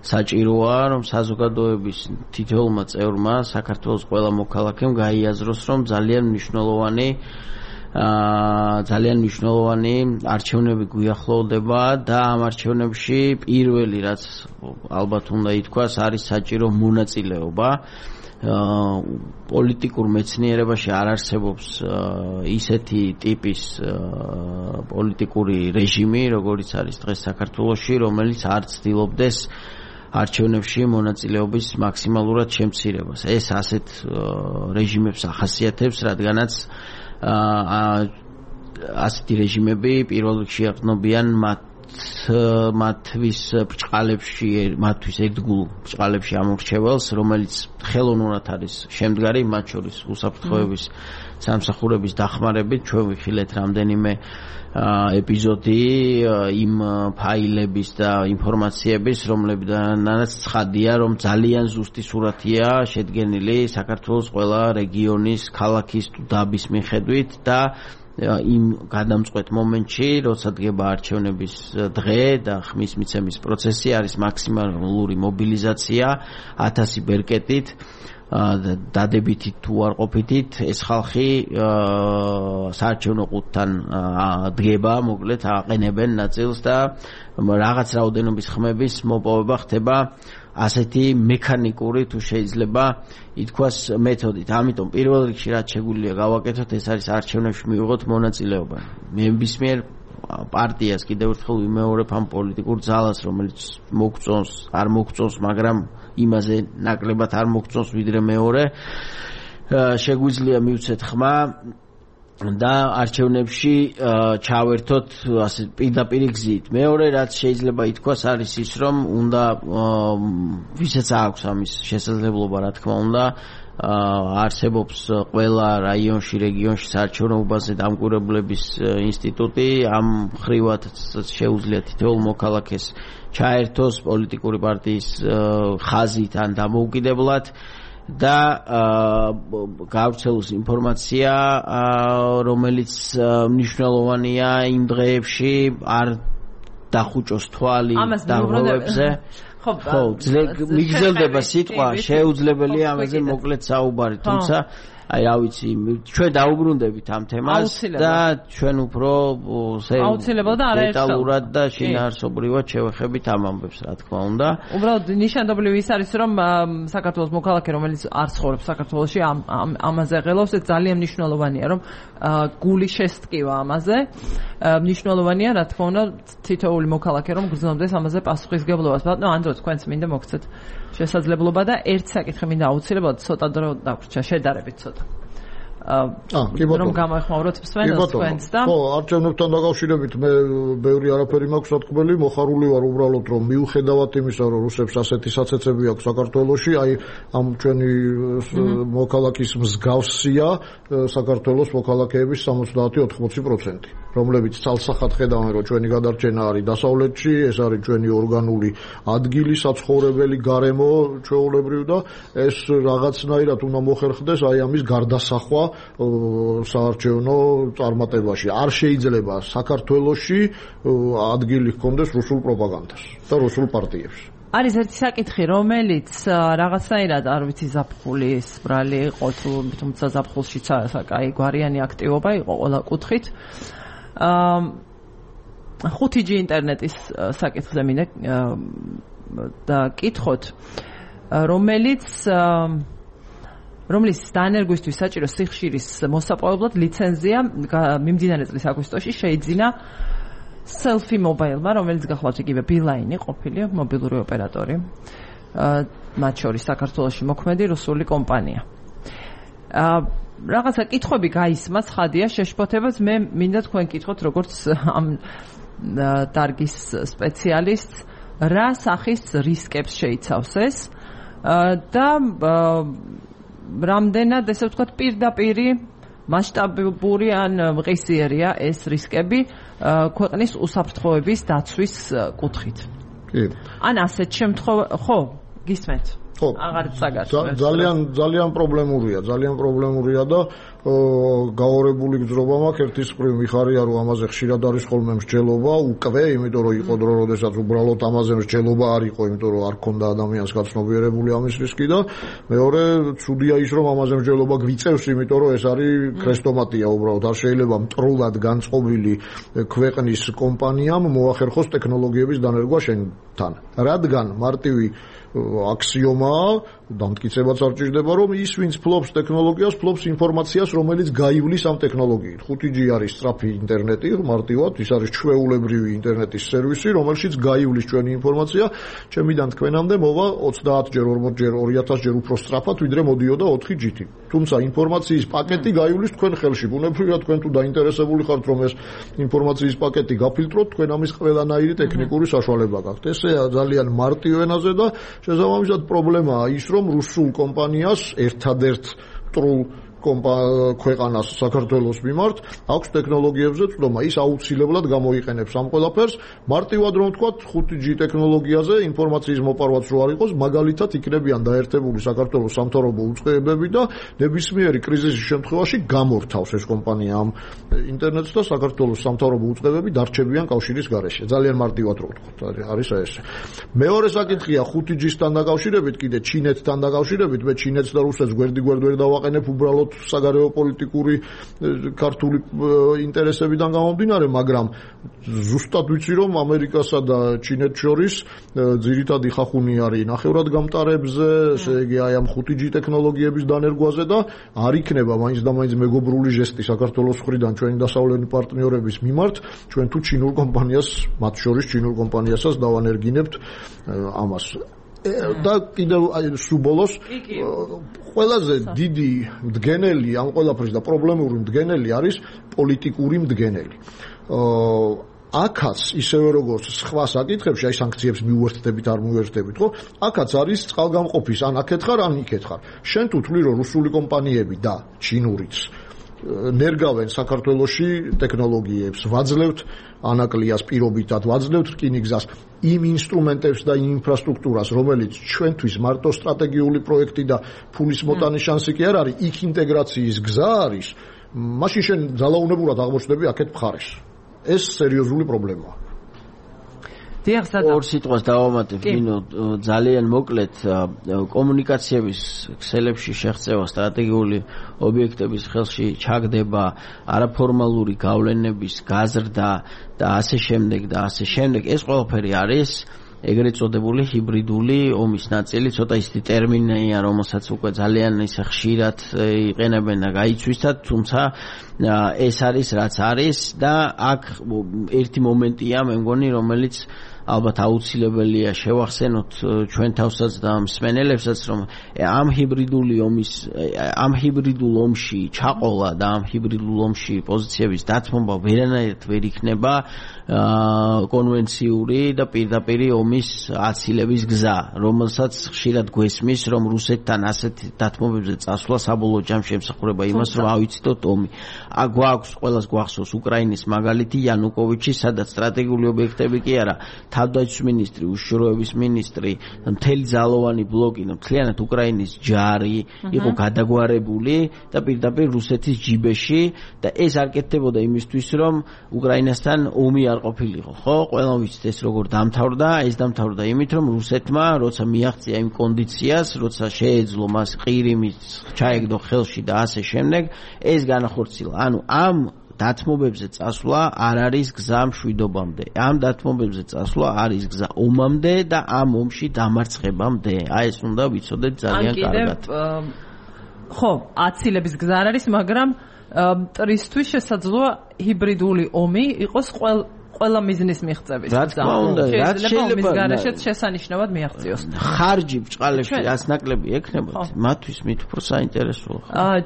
საჭიროა რომ საზოგადოების თითოეულმა წევრმა საქართველოს ყველა მოქალაქემ გაიაზროს რომ ძალიან მნიშვნელოვანი არჩევნები გვიახლოვდება და ამ არჩევნებში პირველი რაც ალბათ უნდა ითქვას არის საჭირო მონაწილეობა. პოლიტიკურ მეცნიერებაში არ არსებობს ისეთი ტიპის პოლიტიკური რეჟიმი, როგორიც არის დღეს საქართველოში, რომელიც არ ცდილობდეს არჩევნებში მონაწილეობის მაქსიმალურად შემცირებას. ეს ასეთ რეჟიმებს ახასიათებს, რადგანაც ასეთი რეჟიმები პირველ რიგში ეყრდნობიან მათთვის ერთგულ ბრჭყალებში ამორჩეველს, რომელიც ხელოვნურად არის შემდგარი, მათ შორის უსაფრთხოების სამსახურების დახმარებით. ჩვენ ვიხილეთ რამდენიმე ეპიზოდი იმ ფაილების და ინფორმაციების, რომლებიდანაც ცხადია, რომ ძალიან ზუსტი სურათია შედგენილი საქართველოს ყველა რეგიონის, ქალაქის თუ დაბის მიხედვით და იმ გადამწყვეტ მომენტში, როცა დგება არჩევნების დღე და ხმის მიცემის პროცესი, არის მაქსიმალური მობილიზაცია 1000 ბერკეტით, დადებითით თუ არ ყოფითით, ეს ხალხი საარჩევნო ყუთთან დგება, მოკლედ აყენებენ ნაწილს და რაღაც რაოდენობის ხმების მოპოვება ხდება ასეთი მექანიკური თუ შეიძლება ითქვას მეთოდით. ამიტომ პირველ რიგში რაც შეგვიძლია გავაკეთოთ, ეს არის არჩევნებში მივიღოთ მონაწილეობა. ნებისმიერ პარტიას კიდევ ერთხელ ვიმეორებ ამ პოლიტიკურ ძალას, რომელიც მოგწონს, არ მოგწონს, მაგრამ იმაზე ნაკლებად არ მოგწონს ვიდრე მეორე, შეგვიძლია მივცეთ ხმა და არჩევნებში ჩავერთოთ ასე პირდაპირ გზით. მეორე რაც შეიძლება ითქვას არის ის, რომ უნდა ვისაც აქვს ამის შესაძლებლობა, რა თქმა უნდა, არსებობს ყველა რაიონში, რეგიონში საარჩევნოებაზე დამკვირვებლების ინსტიტუტი, ამ ხრივად შეუძლია თითოეულ მოქალაქეს ჩაერთოს პოლიტიკური პარტიის ხაზით ან დამოუკიდებლად და გავრცელოს ინფორმაცია, რომელიც მნიშვნელოვანია იმ დღეებში, არ დახუჭოს თვალი დაღვრევებზე. ხო, მიგრძელდება სიტყვა, შეუძლებელია ამაზე მოკლედ საუბარი, თუმცა აი რა ვიცი, ჩვენ დაუბრუნდებით ამ თემას და ჩვენ უფრო დეტალურად და შინაარსობრივად შევეხებით ამ ამბებს, რა თქმა უნდა. უბრალოდ ნიშანდობლივი ის არის, რომ საქართველოს მოქალაქე, რომელიც არ ცხოვრობს საქართველოში, ამაზე ღელავს, ეს ძალიან მნიშვნელოვანია, რომ გული შესტკივა ამაზე. მნიშვნელოვანია, რა თქმა უნდა, თითოეული მოქალაქე, რომ გრძნობდეს ამაზე პასუხისგებლობას. ბატონო ანდრო, თქვენც მინდა მოგცეთ შესაძლებლობა და ერთ საკითხი მინდა აუცილებლად ცოტა დრო დაგვრჩა, შედარებით ცოტა. რომ გამოეხმაუროთ მსმენელს თქვენს და ხო, არჩევნებთან დაკავშირებით მე ბევრი არაფერი მაქვს სათქმელი, მოხარული ვარ უბრალოდ რომ მიუხედავად იმისა, რომ რუსებს ასეთი საცეცები აქვს საქართველოში, აი ამ ჩვენი მოქალაქის მსგავსია საქართველოს მოქალაქეების 70-80%, რომლებიც ცალსახად ხედავენ, რომ ჩვენი გადარჩენა არის დასავლეთში, ეს არის ჩვენი ორგანული ადგილი, საცხოვრებელი გარემო ჩვეულებრივ და ეს რაღაცნაირად უნდა მოხერხდეს აი ამის გარდასახვა საარჩევნო წარმატებაში. არ შეიძლება საქართველოში ადგილი ჰქონდეს რუსულ პროპაგანდას და რუსულ პარტიებს. არის ერთი საკითხი, რომელიც რაღაცნაირად არ ვიცი ზაფხულის ბრალი იყო თუ თუმცა ზაფხულშიც საკაი გვარიანი აქტივობა იყო ყველა კუთხით. 5G ინტერნეტის საკითხზე მინდა და კითხოთ, რომლის დანერგვისთვის საჭირო სიხშირის მოსაპოვებლად ლიცენზია მიმდინარე წლის აგვისტოში შეიძინა Selfie Mobile-მა, რომელიც გახლავთ იგივე Beeline ყოფილი მობილური ოპერატორი, მათ შორის საქართველოში მოქმედი რუსული კომპანია. რაღაცა კითხვები გაისმა, ცხადია, შეშფოთებაც მე მინდა თქვენ კითხოთ, როგორც ამ დარგის სპეციალისტს, რა სახის რისკებს შეიცავს ეს და რამდენად, ესე ვთქვათ, პირდაპირი მასშტაბური ან მყისიერია ეს რისკები ქვეყნის უსაფრთხოების დაცვის კუთხით. კი. ან ასეთ შემთხვევაში, ხო, გისმენთ? ხო. აღარ წაგარჩევთ. ძალიან პრობლემურია და გაორებული გძრობა მაქვს ერთის მხრივ მიხარია რომ ამაზე ხშირად არის ხოლმე მსჯელობა უკვე, იმიტომ რომ იყო დრო როდესაც უბრალოდ ამაზე მსჯელობა არ იყო, იმიტომ რომ არ ქონდა ადამიანს გაცნობიერებული ამის რისკი და მეორე ცუდია ის რომ ამაზე მსჯელობა გვიწევს, იმიტომ რომ ეს არის ქრესტომატია უბრალოდ არ შეიძლება მტრულად განწყობილი ქვეყნის კომპანიამ მოახერხოს ტექნოლოგიების დანერგვა შენთან, რადგან მარტივი აქსიომაა დამტკიცებაც არ ჭირდება, რომ ის ვინც ფლობს ტექნოლოგიას, ფლობს ინფორმაციას, რომელიც გაივლის ამ ტექნოლოგიით. 5G არის სწრაფი ინტერნეტი, მარტივად, ის არის ჩვეულებრივი ინტერნეტის სერვისი, რომელშიც გაივლის ჩვენი ინფორმაცია, ჩემიდან თქვენამდე მოვა 30-ჯერ, 40-ჯერ, 2000-ჯერ უფრო სწრაფად, ვიდრე მოდიოდა 4G-ით. თუმცა ინფორმაციის პაკეტი გაივლის თქვენ ხელში. ბუნებრივია თქვენ თუ დაინტერესებული ხართ, რომ ეს ინფორმაციის პაკეტი გაფილტროთ, თქვენ ამის ყველანაირი ტექნიკური საშუალება გაქვთ. ესეა ძალიან მარტივ ენაზე და შესაბამისად პრობლემაა ის, რომ რუსულ კომპანიას ერთადერთ მტრულ ქვეყანას საქართველოს მიმართ აქვს ტექნოლოგიებზე წვდომა. ის აუცილებლად გამოიყენებს ამ ყველაფერს. მარტივად რომ ვთქვათ, 5G ტექნოლოგიაზე ინფორმაციის მოპარვაც რო არ იყოს, მაგალითად იქნებიან დაერთებული საქართველოს სამთავრობო უწყებები და ნებისმიერი კრიზისის შემთხვევაში გამორთავს ეს კომპანია ამ ინტერნეტს და საქართველოს სამთავრობო უწყებები დარჩებიან კავშირის გარეშე. ძალიან მარტივად რო ვთქვათ, არის ეს. მეორე საკითხია 5G-სთან დაკავშირებით, კიდე ჩინეთთან დაკავშირებით, მე ჩინეთს და რუსეთს გვერდიგვერდ ვერ დავაყენებ უბრალოდ საგარეო პოლიტიკური ქართული ინტერესებიდან გამომდინარე, მაგრამ ზუსტად ვიცი, რომ ამერიკასა და ჩინეთს შორის ძირითადი ხახუნი არის ნახევრად გამტარებზე, ესე იგი აი ამ 5G ტექნოლოგიების დანერგვაზე და არ იქნება მაინც და მაინც მეგობრული ჟესტი საქართველოს მხრიდან ჩვენი დასავლელი პარტნიორების მიმართ, ჩვენ თუ ჩინურ კომპანიას, მათ შორის ჩინურ კომპანიასაც დავანერგინებთ ამას. და კიდევ სუბოლოს ყველაზე დიდი მდგენელი ამ ყველაფრის და პრობლემური მდგენელი არის პოლიტიკური მდგენელი. აქაც ისევე როგორც სხვა საკითხებში, აი სანქციებს მიუერთდებით არ მიუერთდებით, ხო? აქაც არის წყალგამყოფის ან აქეთ ხარ, ან იქეთ ხარ. შენ თუ თვლი რომ რუსული კომპანიები და ჩინურიც ნერგავენ საქართველოში ტექნოლოგიებს, ვაძლევთ ანაკლიას პირობითად, ვაძლევთ რკინიგზას, იმ ინსტრუმენტებს და იმ ინფრასტრუქტურას, რომელიც ჩვენთვის მარტო სტრატეგიული პროექტი და ფულის მოტანის შანსი კი არ არის, იქ ინტეგრაციის გზა არის, მაშინ შენ ძალაუნებურად აღმოჩნდები აქეთ მხარეს. ეს სერიოზული პრობლემაა. ორ სიტყვას დავამატებ, ნინო, ძალიან მოკლედ კომუნიკაციების ქსელებში შეღწევა სტრატეგიული ობიექტების ხელში ჩაგდება არაფორმალური გავლენების გაზრდა და ასე შემდეგ და ასე შემდეგ. ეს ყველაფერი არის ეგრეთ წოდებული ჰიბრიდული ომის ნაწილი, ცოტა ისეთი ტერმინია, რომელსაც უკვე ძალიან ისე ხშირად იყენებენ და გაიცვისათ, თუმცა ეს არის რაც არის და აქ ერთი მომენტია, მე მგონი, რომელიც ალბათ აუცილებელია შევახსენოთ ჩვენ თავსაც და მსმენელებსაც, რომ ამ ჰიბრიდულ ომში ჩაყოლა და ამ ჰიბრიდულ ომში პოზიციების დათმობა ვერანაირად ვერ იქნება კონვენციური და პირდაპირი ომის აცილების გზა, რომელსაც ხშირად გვესმის, რომ რუსეთთან ასეთ დათმობებზე წასვლა საბოლოო ჯამში ემსახურება იმას, რომ ავიციდოთ ომი. გვაქვს ყველას გვახსოვს უკრაინის მაგალითი იანუკოვიჩი, სადაც სტრატეგიული ობიექტები კი არა, თავდაცვის მინისტრი, უშიშროების მინისტრი, მთელი ძალოვანი ბლოკი, მთლიანად უკრაინის ჯარი იყო გადაგვარებული და პირდაპირ რუსეთის ჯიბეში და ეს არ კეთდებოდა იმისთვის, რომ უკრაინასთან ომი არ ყოფილიყო, ხო? ყველამ ვიცით ეს როგორ დამთავრდა, ეს დამთავრდა იმით, რომ რუსეთმა როცა მიაღწია იმ კონდიციას, როცა შეეძლო მას ყირიმის ჩაეგდო ხელში და ასე შემდეგ, ეს განახორციელა. ანუ ამ დათმობებზე წასვლა არ არის გზა მშვიდობამდე. ამ დათმობებზე წასვლა არის გზა ომამდე და ამ ომში დამარცხებამდე. აი ეს უნდა ვიცოდეთ ძალიან კარგად. ხო, აცილების გზა არ არის, მაგრამ მტრისთვის შესაძლოა ჰიბრიდული ომი იყოს ყველა მიზნის მიღწევის. რა თქმა უნდა, რაც შეიძლება გარეშეც შესანიშნავად მიაღწიოს. ხარჯი ბჭყალებში რაც ნაკლები ექნებათ, მათთვის მით უფრო საინტერესოა.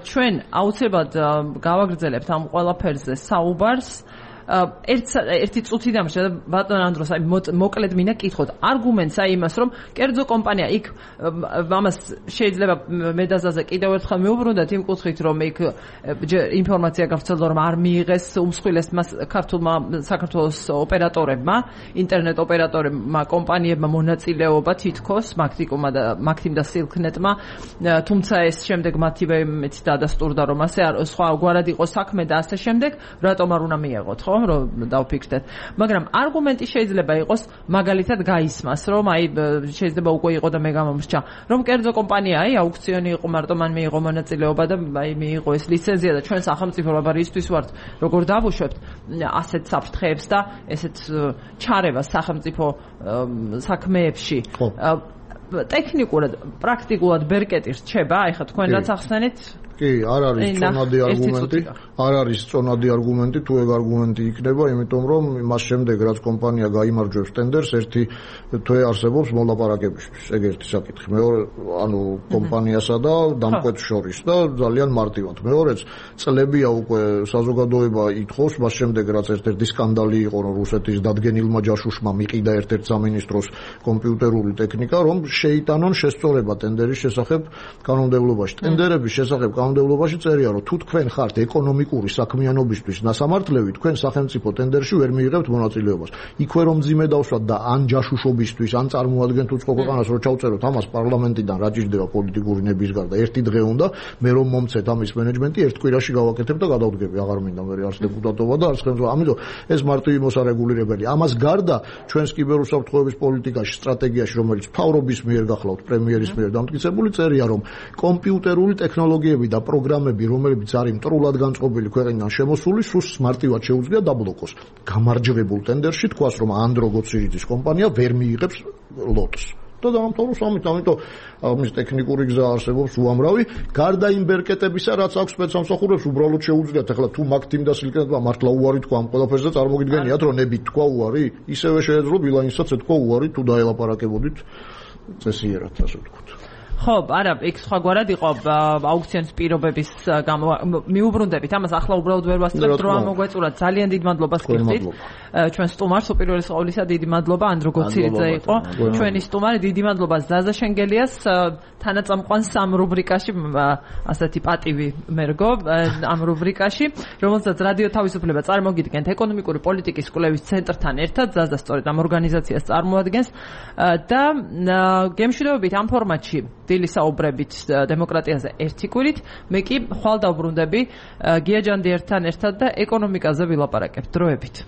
ჩვენ აუცილებლად გავაგრძელებთ ამ ყველაფერზე საუბარს. ერთი წუთი დამრჩა და ბატონ ანდროს აი მოკლედ მინდა კითხოთ არგუმენტს აი იმას რომ კერძო კომპანია იქ ამას შეიძლება მედაზაზე კიდევ ერთხელ მეუბრუნდეთ იმ კუთხით რომ იქ ინფორმაცია გავრცელდა რომ არ მიიღეს უმსხვილესმა ქართულმა საქართველოს ოპერატორებმა ინტერნეტ ოპერატორებმა კომპანიებმა მონაწილეობა თითქოს მაგთიმ და სილკნეტმა თუმცა ეს შემდეგ მათივე მეც დადასტურდა რომ ასე სხვა გვარად იყო საქმე და ასე შემდეგ რატომ არ უნდა მიეღოთ ხო რომ დავფიქრდეთ მაგრამ არგუმენტი შეიძლება იყოს მაგალითად გაისმას რომ აი შეიძლება უკვე იყო და მე გამომრჩა რომ კერძო კომპანია აი აუქციონი იყო მარტო მან მიიღო მონაწილეობა და აი მიიღო ეს ლიცენზია და ჩვენ სახელმწიფო რაბარისთვის ვართ როგორ დავუშვებთ ასეთ საფრთხეებს და ესეთ ჩარევას სახელმწიფო საქმეებში ტექნიკურად, პრაქტიკულად ბერკეტი რჩება, აი ხა თქვენ რაც ახსენით? კი, არ არის წონადი არგუმენტი, არ არის წონადი არგუმენტი, თუ ეგ არგუმენტი იქნება, იმიტომ რომ მას შემდეგ რაც კომპანია გაიმარჯვებს ტენდერს, ერთი თვე არსებობს მოლაპარაკებისთვის, ეგ ერთი საკითხი. მეორე, ანუ კომპანიასა და დამკვეთს შორის და ძალიან მარტივად. მეორეც, წლებია უკვე საზოგადოება ითხოვს, მას შემდეგ რაც ერთ-ერთი სკანდალი იყო, რომ რუსეთის დადგენილმა ჯაშუშმა მიყიდა ერთ-ერთ სამინისტროს კომპიუტერული ტექნიკა, რომ შეიტანონ შესწორება ტენდერის შესახებ კანონმდებლობაში. ტენდერების შესახებ კანონმდებლობაში წერია, რომ თუ თქვენ ხართ ეკონომიკური საქმიანობისთვის ნასამართლები, თქვენ სახელმწიფო ტენდერში ვერ მიიღებთ მონაწილეობას. იქვე რომ მძიმე დავსვათ და ან ჯაშუშობისთვის, ან წარმოადგენთ უცხო ქვეყანას, რომ ჩავწეროთ ამას პარლამენტიდან რა ჭირდება პოლიტიკური ნების გარდა. ერთი დღე უნდა, მე რომ მომცეთ ამის მენეჯმენტი, ერთ კვირაში გავაკეთებ და გადავდგები. აღარ მინდა მე არც დეპუტატობა და არც ხელმძღვანელობა. ამიტომ ეს მარტივი მოსარეგულირებელი. ამას გარდა ჩვენს კიბერუსაფრთხოების პოლიტიკაში, სტრატეგიაში, რომელიც ფავრობის მიერ გახლავთ, პრემიერის მიერ დამტკიცებული, წერია, რომ კომპიუტერული ტექნოლოგიები და პროგრამები, რომლებიც არის მტრულად განწყობილი ქვეყნიდან შემოსული, სულს მარტივად შეუძლია დაბლოკოს. გამარჯვებულ ტენდერში თქვას, რომ Android Series კომპანია ვერ მიიღებს ლოტს. და დამთავროს ამით, ამიტომ ამის ტექნიკური გზა არსებობს უამრავი. გარდა იმ ბერკეტებისა, რაც აქვს სპეცსამსახურებს, უბრალოდ შეუძლიათ ახლა თუ მაგ თიმ და სილკენებმა მართლა უარი თქვა ამ ყველაფერზე, წარმოგიდგენიათ, რომ ნებით თქვა უარი, ისევე შეეძლო ბილანსსაც ეთქვა უარი, თუ დაელაპარაკებოდით წესიერად, ასე ვთქვათ. ხო, არა, იქ სხვაგვარად იყო აუქციონის პირობების მიუბრუნდებით. ამას ახლა უბრალოდ ვერ ვასწრებთ, რომ ამოგვეწურათ. ძალიან დიდ მადლობას გიხდით. ჩვენ სტუმარს უპირველეს ყოვლისა დიდი მადლობა ანდროგოციძე იყო. ჩვენი სტუმარი, დიდი მადლობა ზაზა შენგელიას, თანაწამყვან სამ რუბრიკაში, ასეთი პატივი მერგო ამ რუბრიკაში, რომელსაც რადიო თავისუფლება წარმოგიდგენთ ეკონომიკური პოლიტიკის კვლევის ცენტრთან ერთად, ზაზა სწორედ ამ ორგანიზაციას წარმოადგენს და გემშვიდობებით ამ ფორმატში დილის საუბრებით დემოკრატიაზე ერთი კვირით, მე კი ხვალ დავბრუნდები გია ჯანდიერთან ერთად და ეკონომიკაზე ვილაპარაკებთ. დროებით.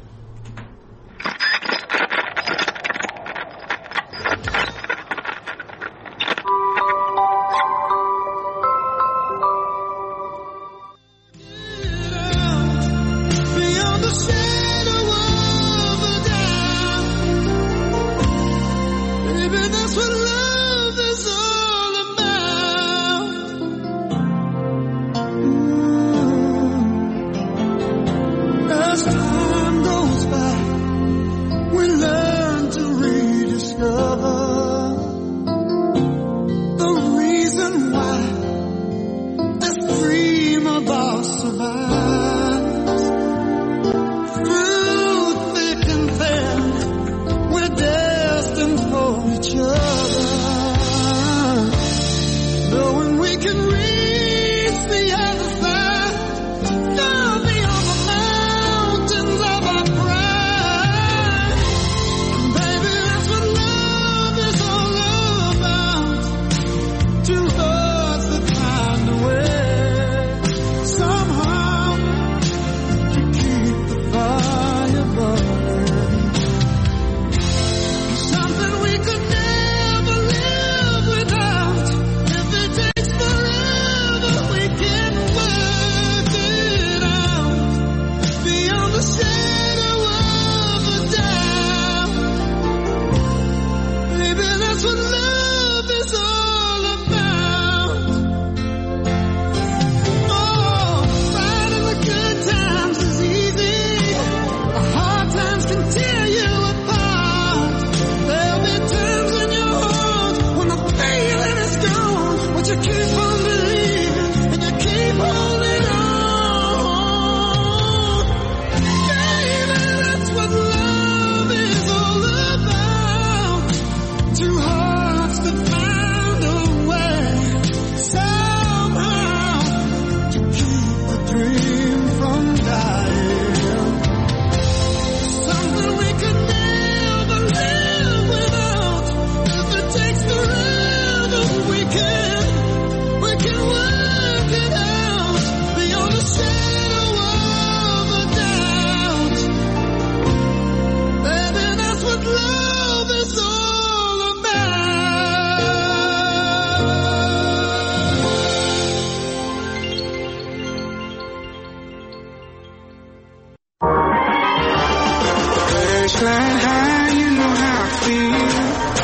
Flying high, you know how I feel.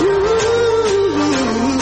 Ooh,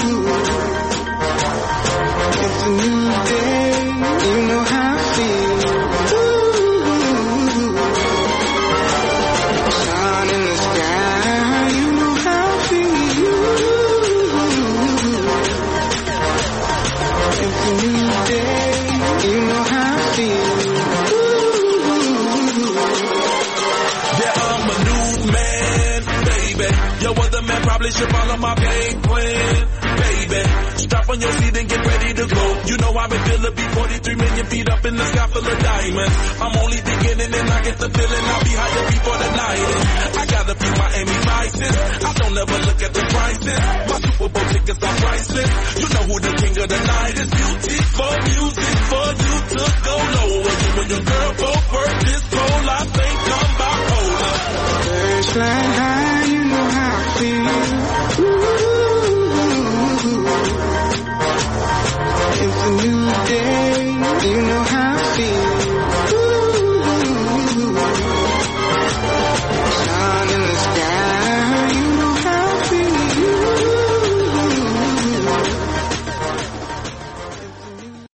should follow my game plan, baby. Strap on your seat and get ready to go. You know I've been feeling be 43 million feet up in the sky full of diamonds. I'm only beginning and I get the feeling I'll be higher before the night ends. I got a few Miami Vices. I don't ever look at the prices. My Super Bowl tickets are priceless. You know who the king of the night is. Beautiful music for you to go low. You and your girl both work this pole. I think I'm bipolar. First flying high, you know how I feel. Ooh, it's a new day.